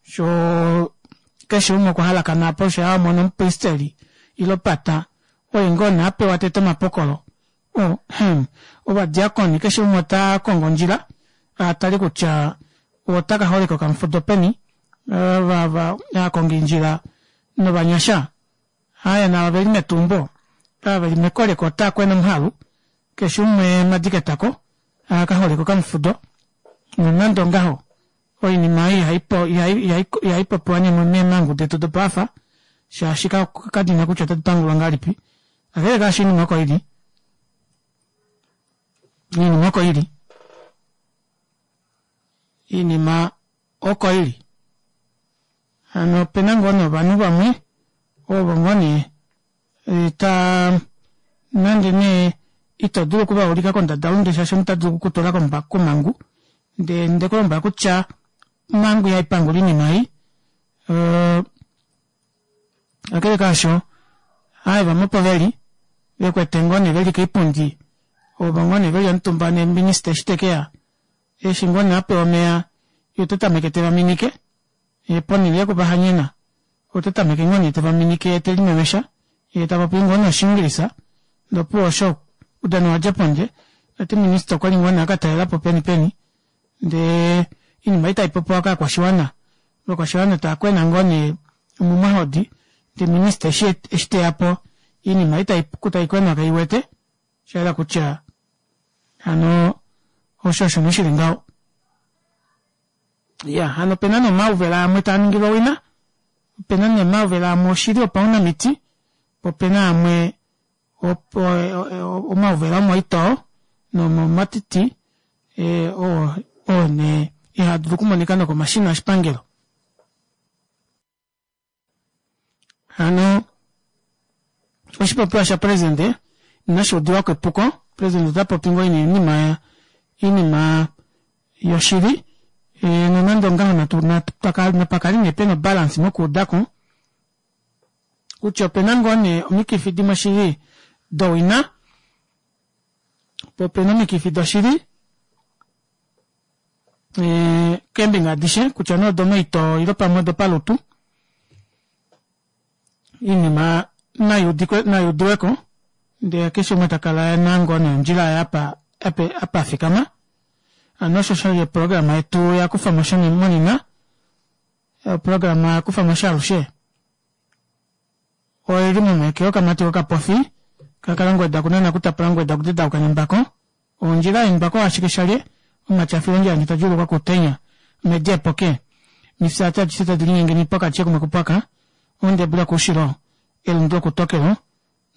sho keshe umwe okwa halakana apo, sho a mona omupristeli ile pata, oye ngoo nee a pewa tete omapokolo, o, hem, ovadiakoni, keshe umwe ota kongo ondjila a tale kutya ota ka holeka okamufudo peni, ava aakongindjila novanyasha aya nava veli metumbo ava veli mekoleko otaa kwena omuhalu keshe umwe madiketako aa ka holeka okamufudo nonande ongaho oinima ei ihai popiwa nee meemhangu detu dopaafa shaashi kadina kutya otadi pangulwa ngahelipi kakele kaasho oinima oko ili iinima oko ili iinima oko ili. Hano opena ngoo nee ovanhu vamwe ovo ngoo nee ta nande nee ito dulu oku va ulika kondadalunde shaashi omuntu ota dulu oku ku tula komhangu ndee nde ku lombwela kutya omhangu ihai pangula oinima ei. Kakele kaasho, aaye vamwe opo veli ve kwete ngoo nee veli koipundi ovo ngoo nee veli omutumba neeminista eshi te keya Eshi ngoo nee a pewa omeya ye ota tameke te va minike, ye ponhele yoku va hanyena ota tameke ngoo nee te va minike ye te limemesha, ye ta popi ngoo nee Oshiingilisa ndee opuwo osho oudano owa dja pondje. Vati minista okwa li ngoo nee a ka talela po peni peni ndee oinima ei tai popiwa kaakwashiwana, ovakwashiwana tava kwena ngoo nee omumwahodi ndee minista eshi te ya po oinima ei tai kwenwa kei wete, osha yela kutya Hano osho osho nee shili ngaho. Ya, hano opena nee omauvela amwe taa ningilwa owina, opena nee omauvela amwe oshili opaunamiti, po opena amwe omauvela omoitoo nomomatiti oo oo nee ihaa dulu okumonika nokomashina oshipangelo. Hano oshipopiwa shapresidente inashi udiwa ko epuko. Presidente ota popi ngoo oinima oinima yoshili e, nonande ongaho natu napa kale nee pena obalance mokuuda ko kutya opena ngoo nee omikifi dimwe shili dowina po opena omikifi doshili. E, keembinga adishe kutya nee odomaito ile pamwe odopalutu iinima nai udiweko ndee keshe umwe ta kala ena ngoo nee ondjila yaye apa apa afikama hano osho shali oprograma yetu ya kufamo monena oprograma ya kufamo shaalushe oili momake yokamati kokapofi kakalangweda kunana kutapula ngweda kudedauka nembako Ondjila yembako ashike shalye omatyafilo ondjila ndji tadjuulukwa kuutenya, omedi epoke, omifyaati adishe tadi linyenge niipwaka adishe kumwe kupwaka, oondebula kuushilo, elundu lokutokelo,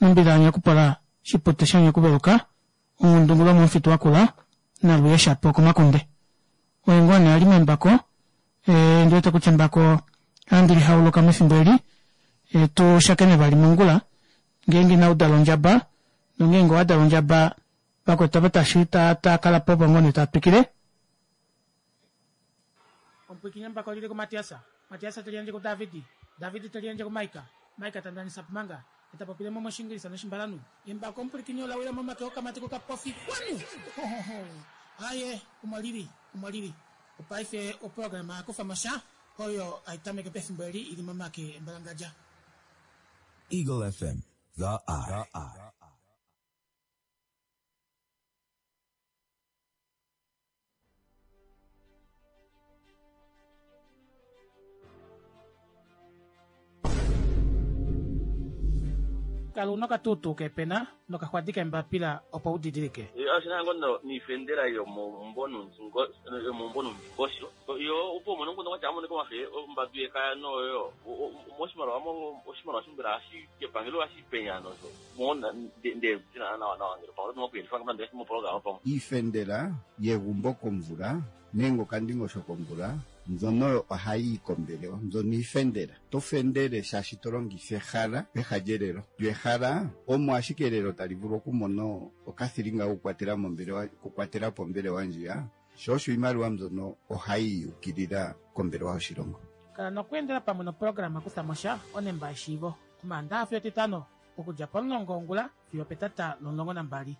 nombila yanyakupola, shipute shanyakuveluka, ongundungu lomomufitu wakula, naluye shapo okomakunde. Oye ngoo nee a li membako, ndi wete kutya embako ohandi li hauluka mefimbo eli, tu shakene vali mongula, ngeenge inau dala ondjaba, nongeenge owa dala ondjaba, Vakwetu ava tashi ta ta kala po opo ngoo nee taa twikile. Omupwiikini embako oli li kuMatias, Matias te liyandje kuDavid, David te liyandje kuMaika, Maika ta ndanisa po manga, ye ta popile mo mOshiingilisa nOshimbalanhu. Embako omupwilikini ola wila momake okamati kokapofi. Kwanu! Hohoho! Aye, omo li li, omo li li. Opaife oprograma ya kufa mo sha, oyo hai tameke pefimbo eli i li momake embalangadja. Eagle FM, The Eye. Kala una okatuutuu keepena nokaxwadi keembapila opo u didilike. Oshina ngo niifendela yomomumbo nuundingosho yo opo umone omukundu kwatya amonike omafe ombadu yekaya noyo moshimaliwa oshimaliwa shombela hashi kepangelo hashi penya nosho Iifendela yegumbo komvula nenge okandingosho komvula mbyono oyo ohayi yi kombelewa. Mbyono iifendela. Oto fendele shaashi to longitha ehala peha lyelelo. Lyo ehala omo ashike elelo tali vulu okumona okathilinga kokukwatela mombelewa, okukwatela po ombelewa ndjiya. Sho osho iimaliwa mbyono ohayi yi ukilila kombelewa yoshilongo. Kala nokweendela pamwe noprograma Kutha mo sha, Onemba yeshiivo, Omaandaha fiyo Etitano, okudja pomulongo wongula fiyo opetata lomulongo nambali.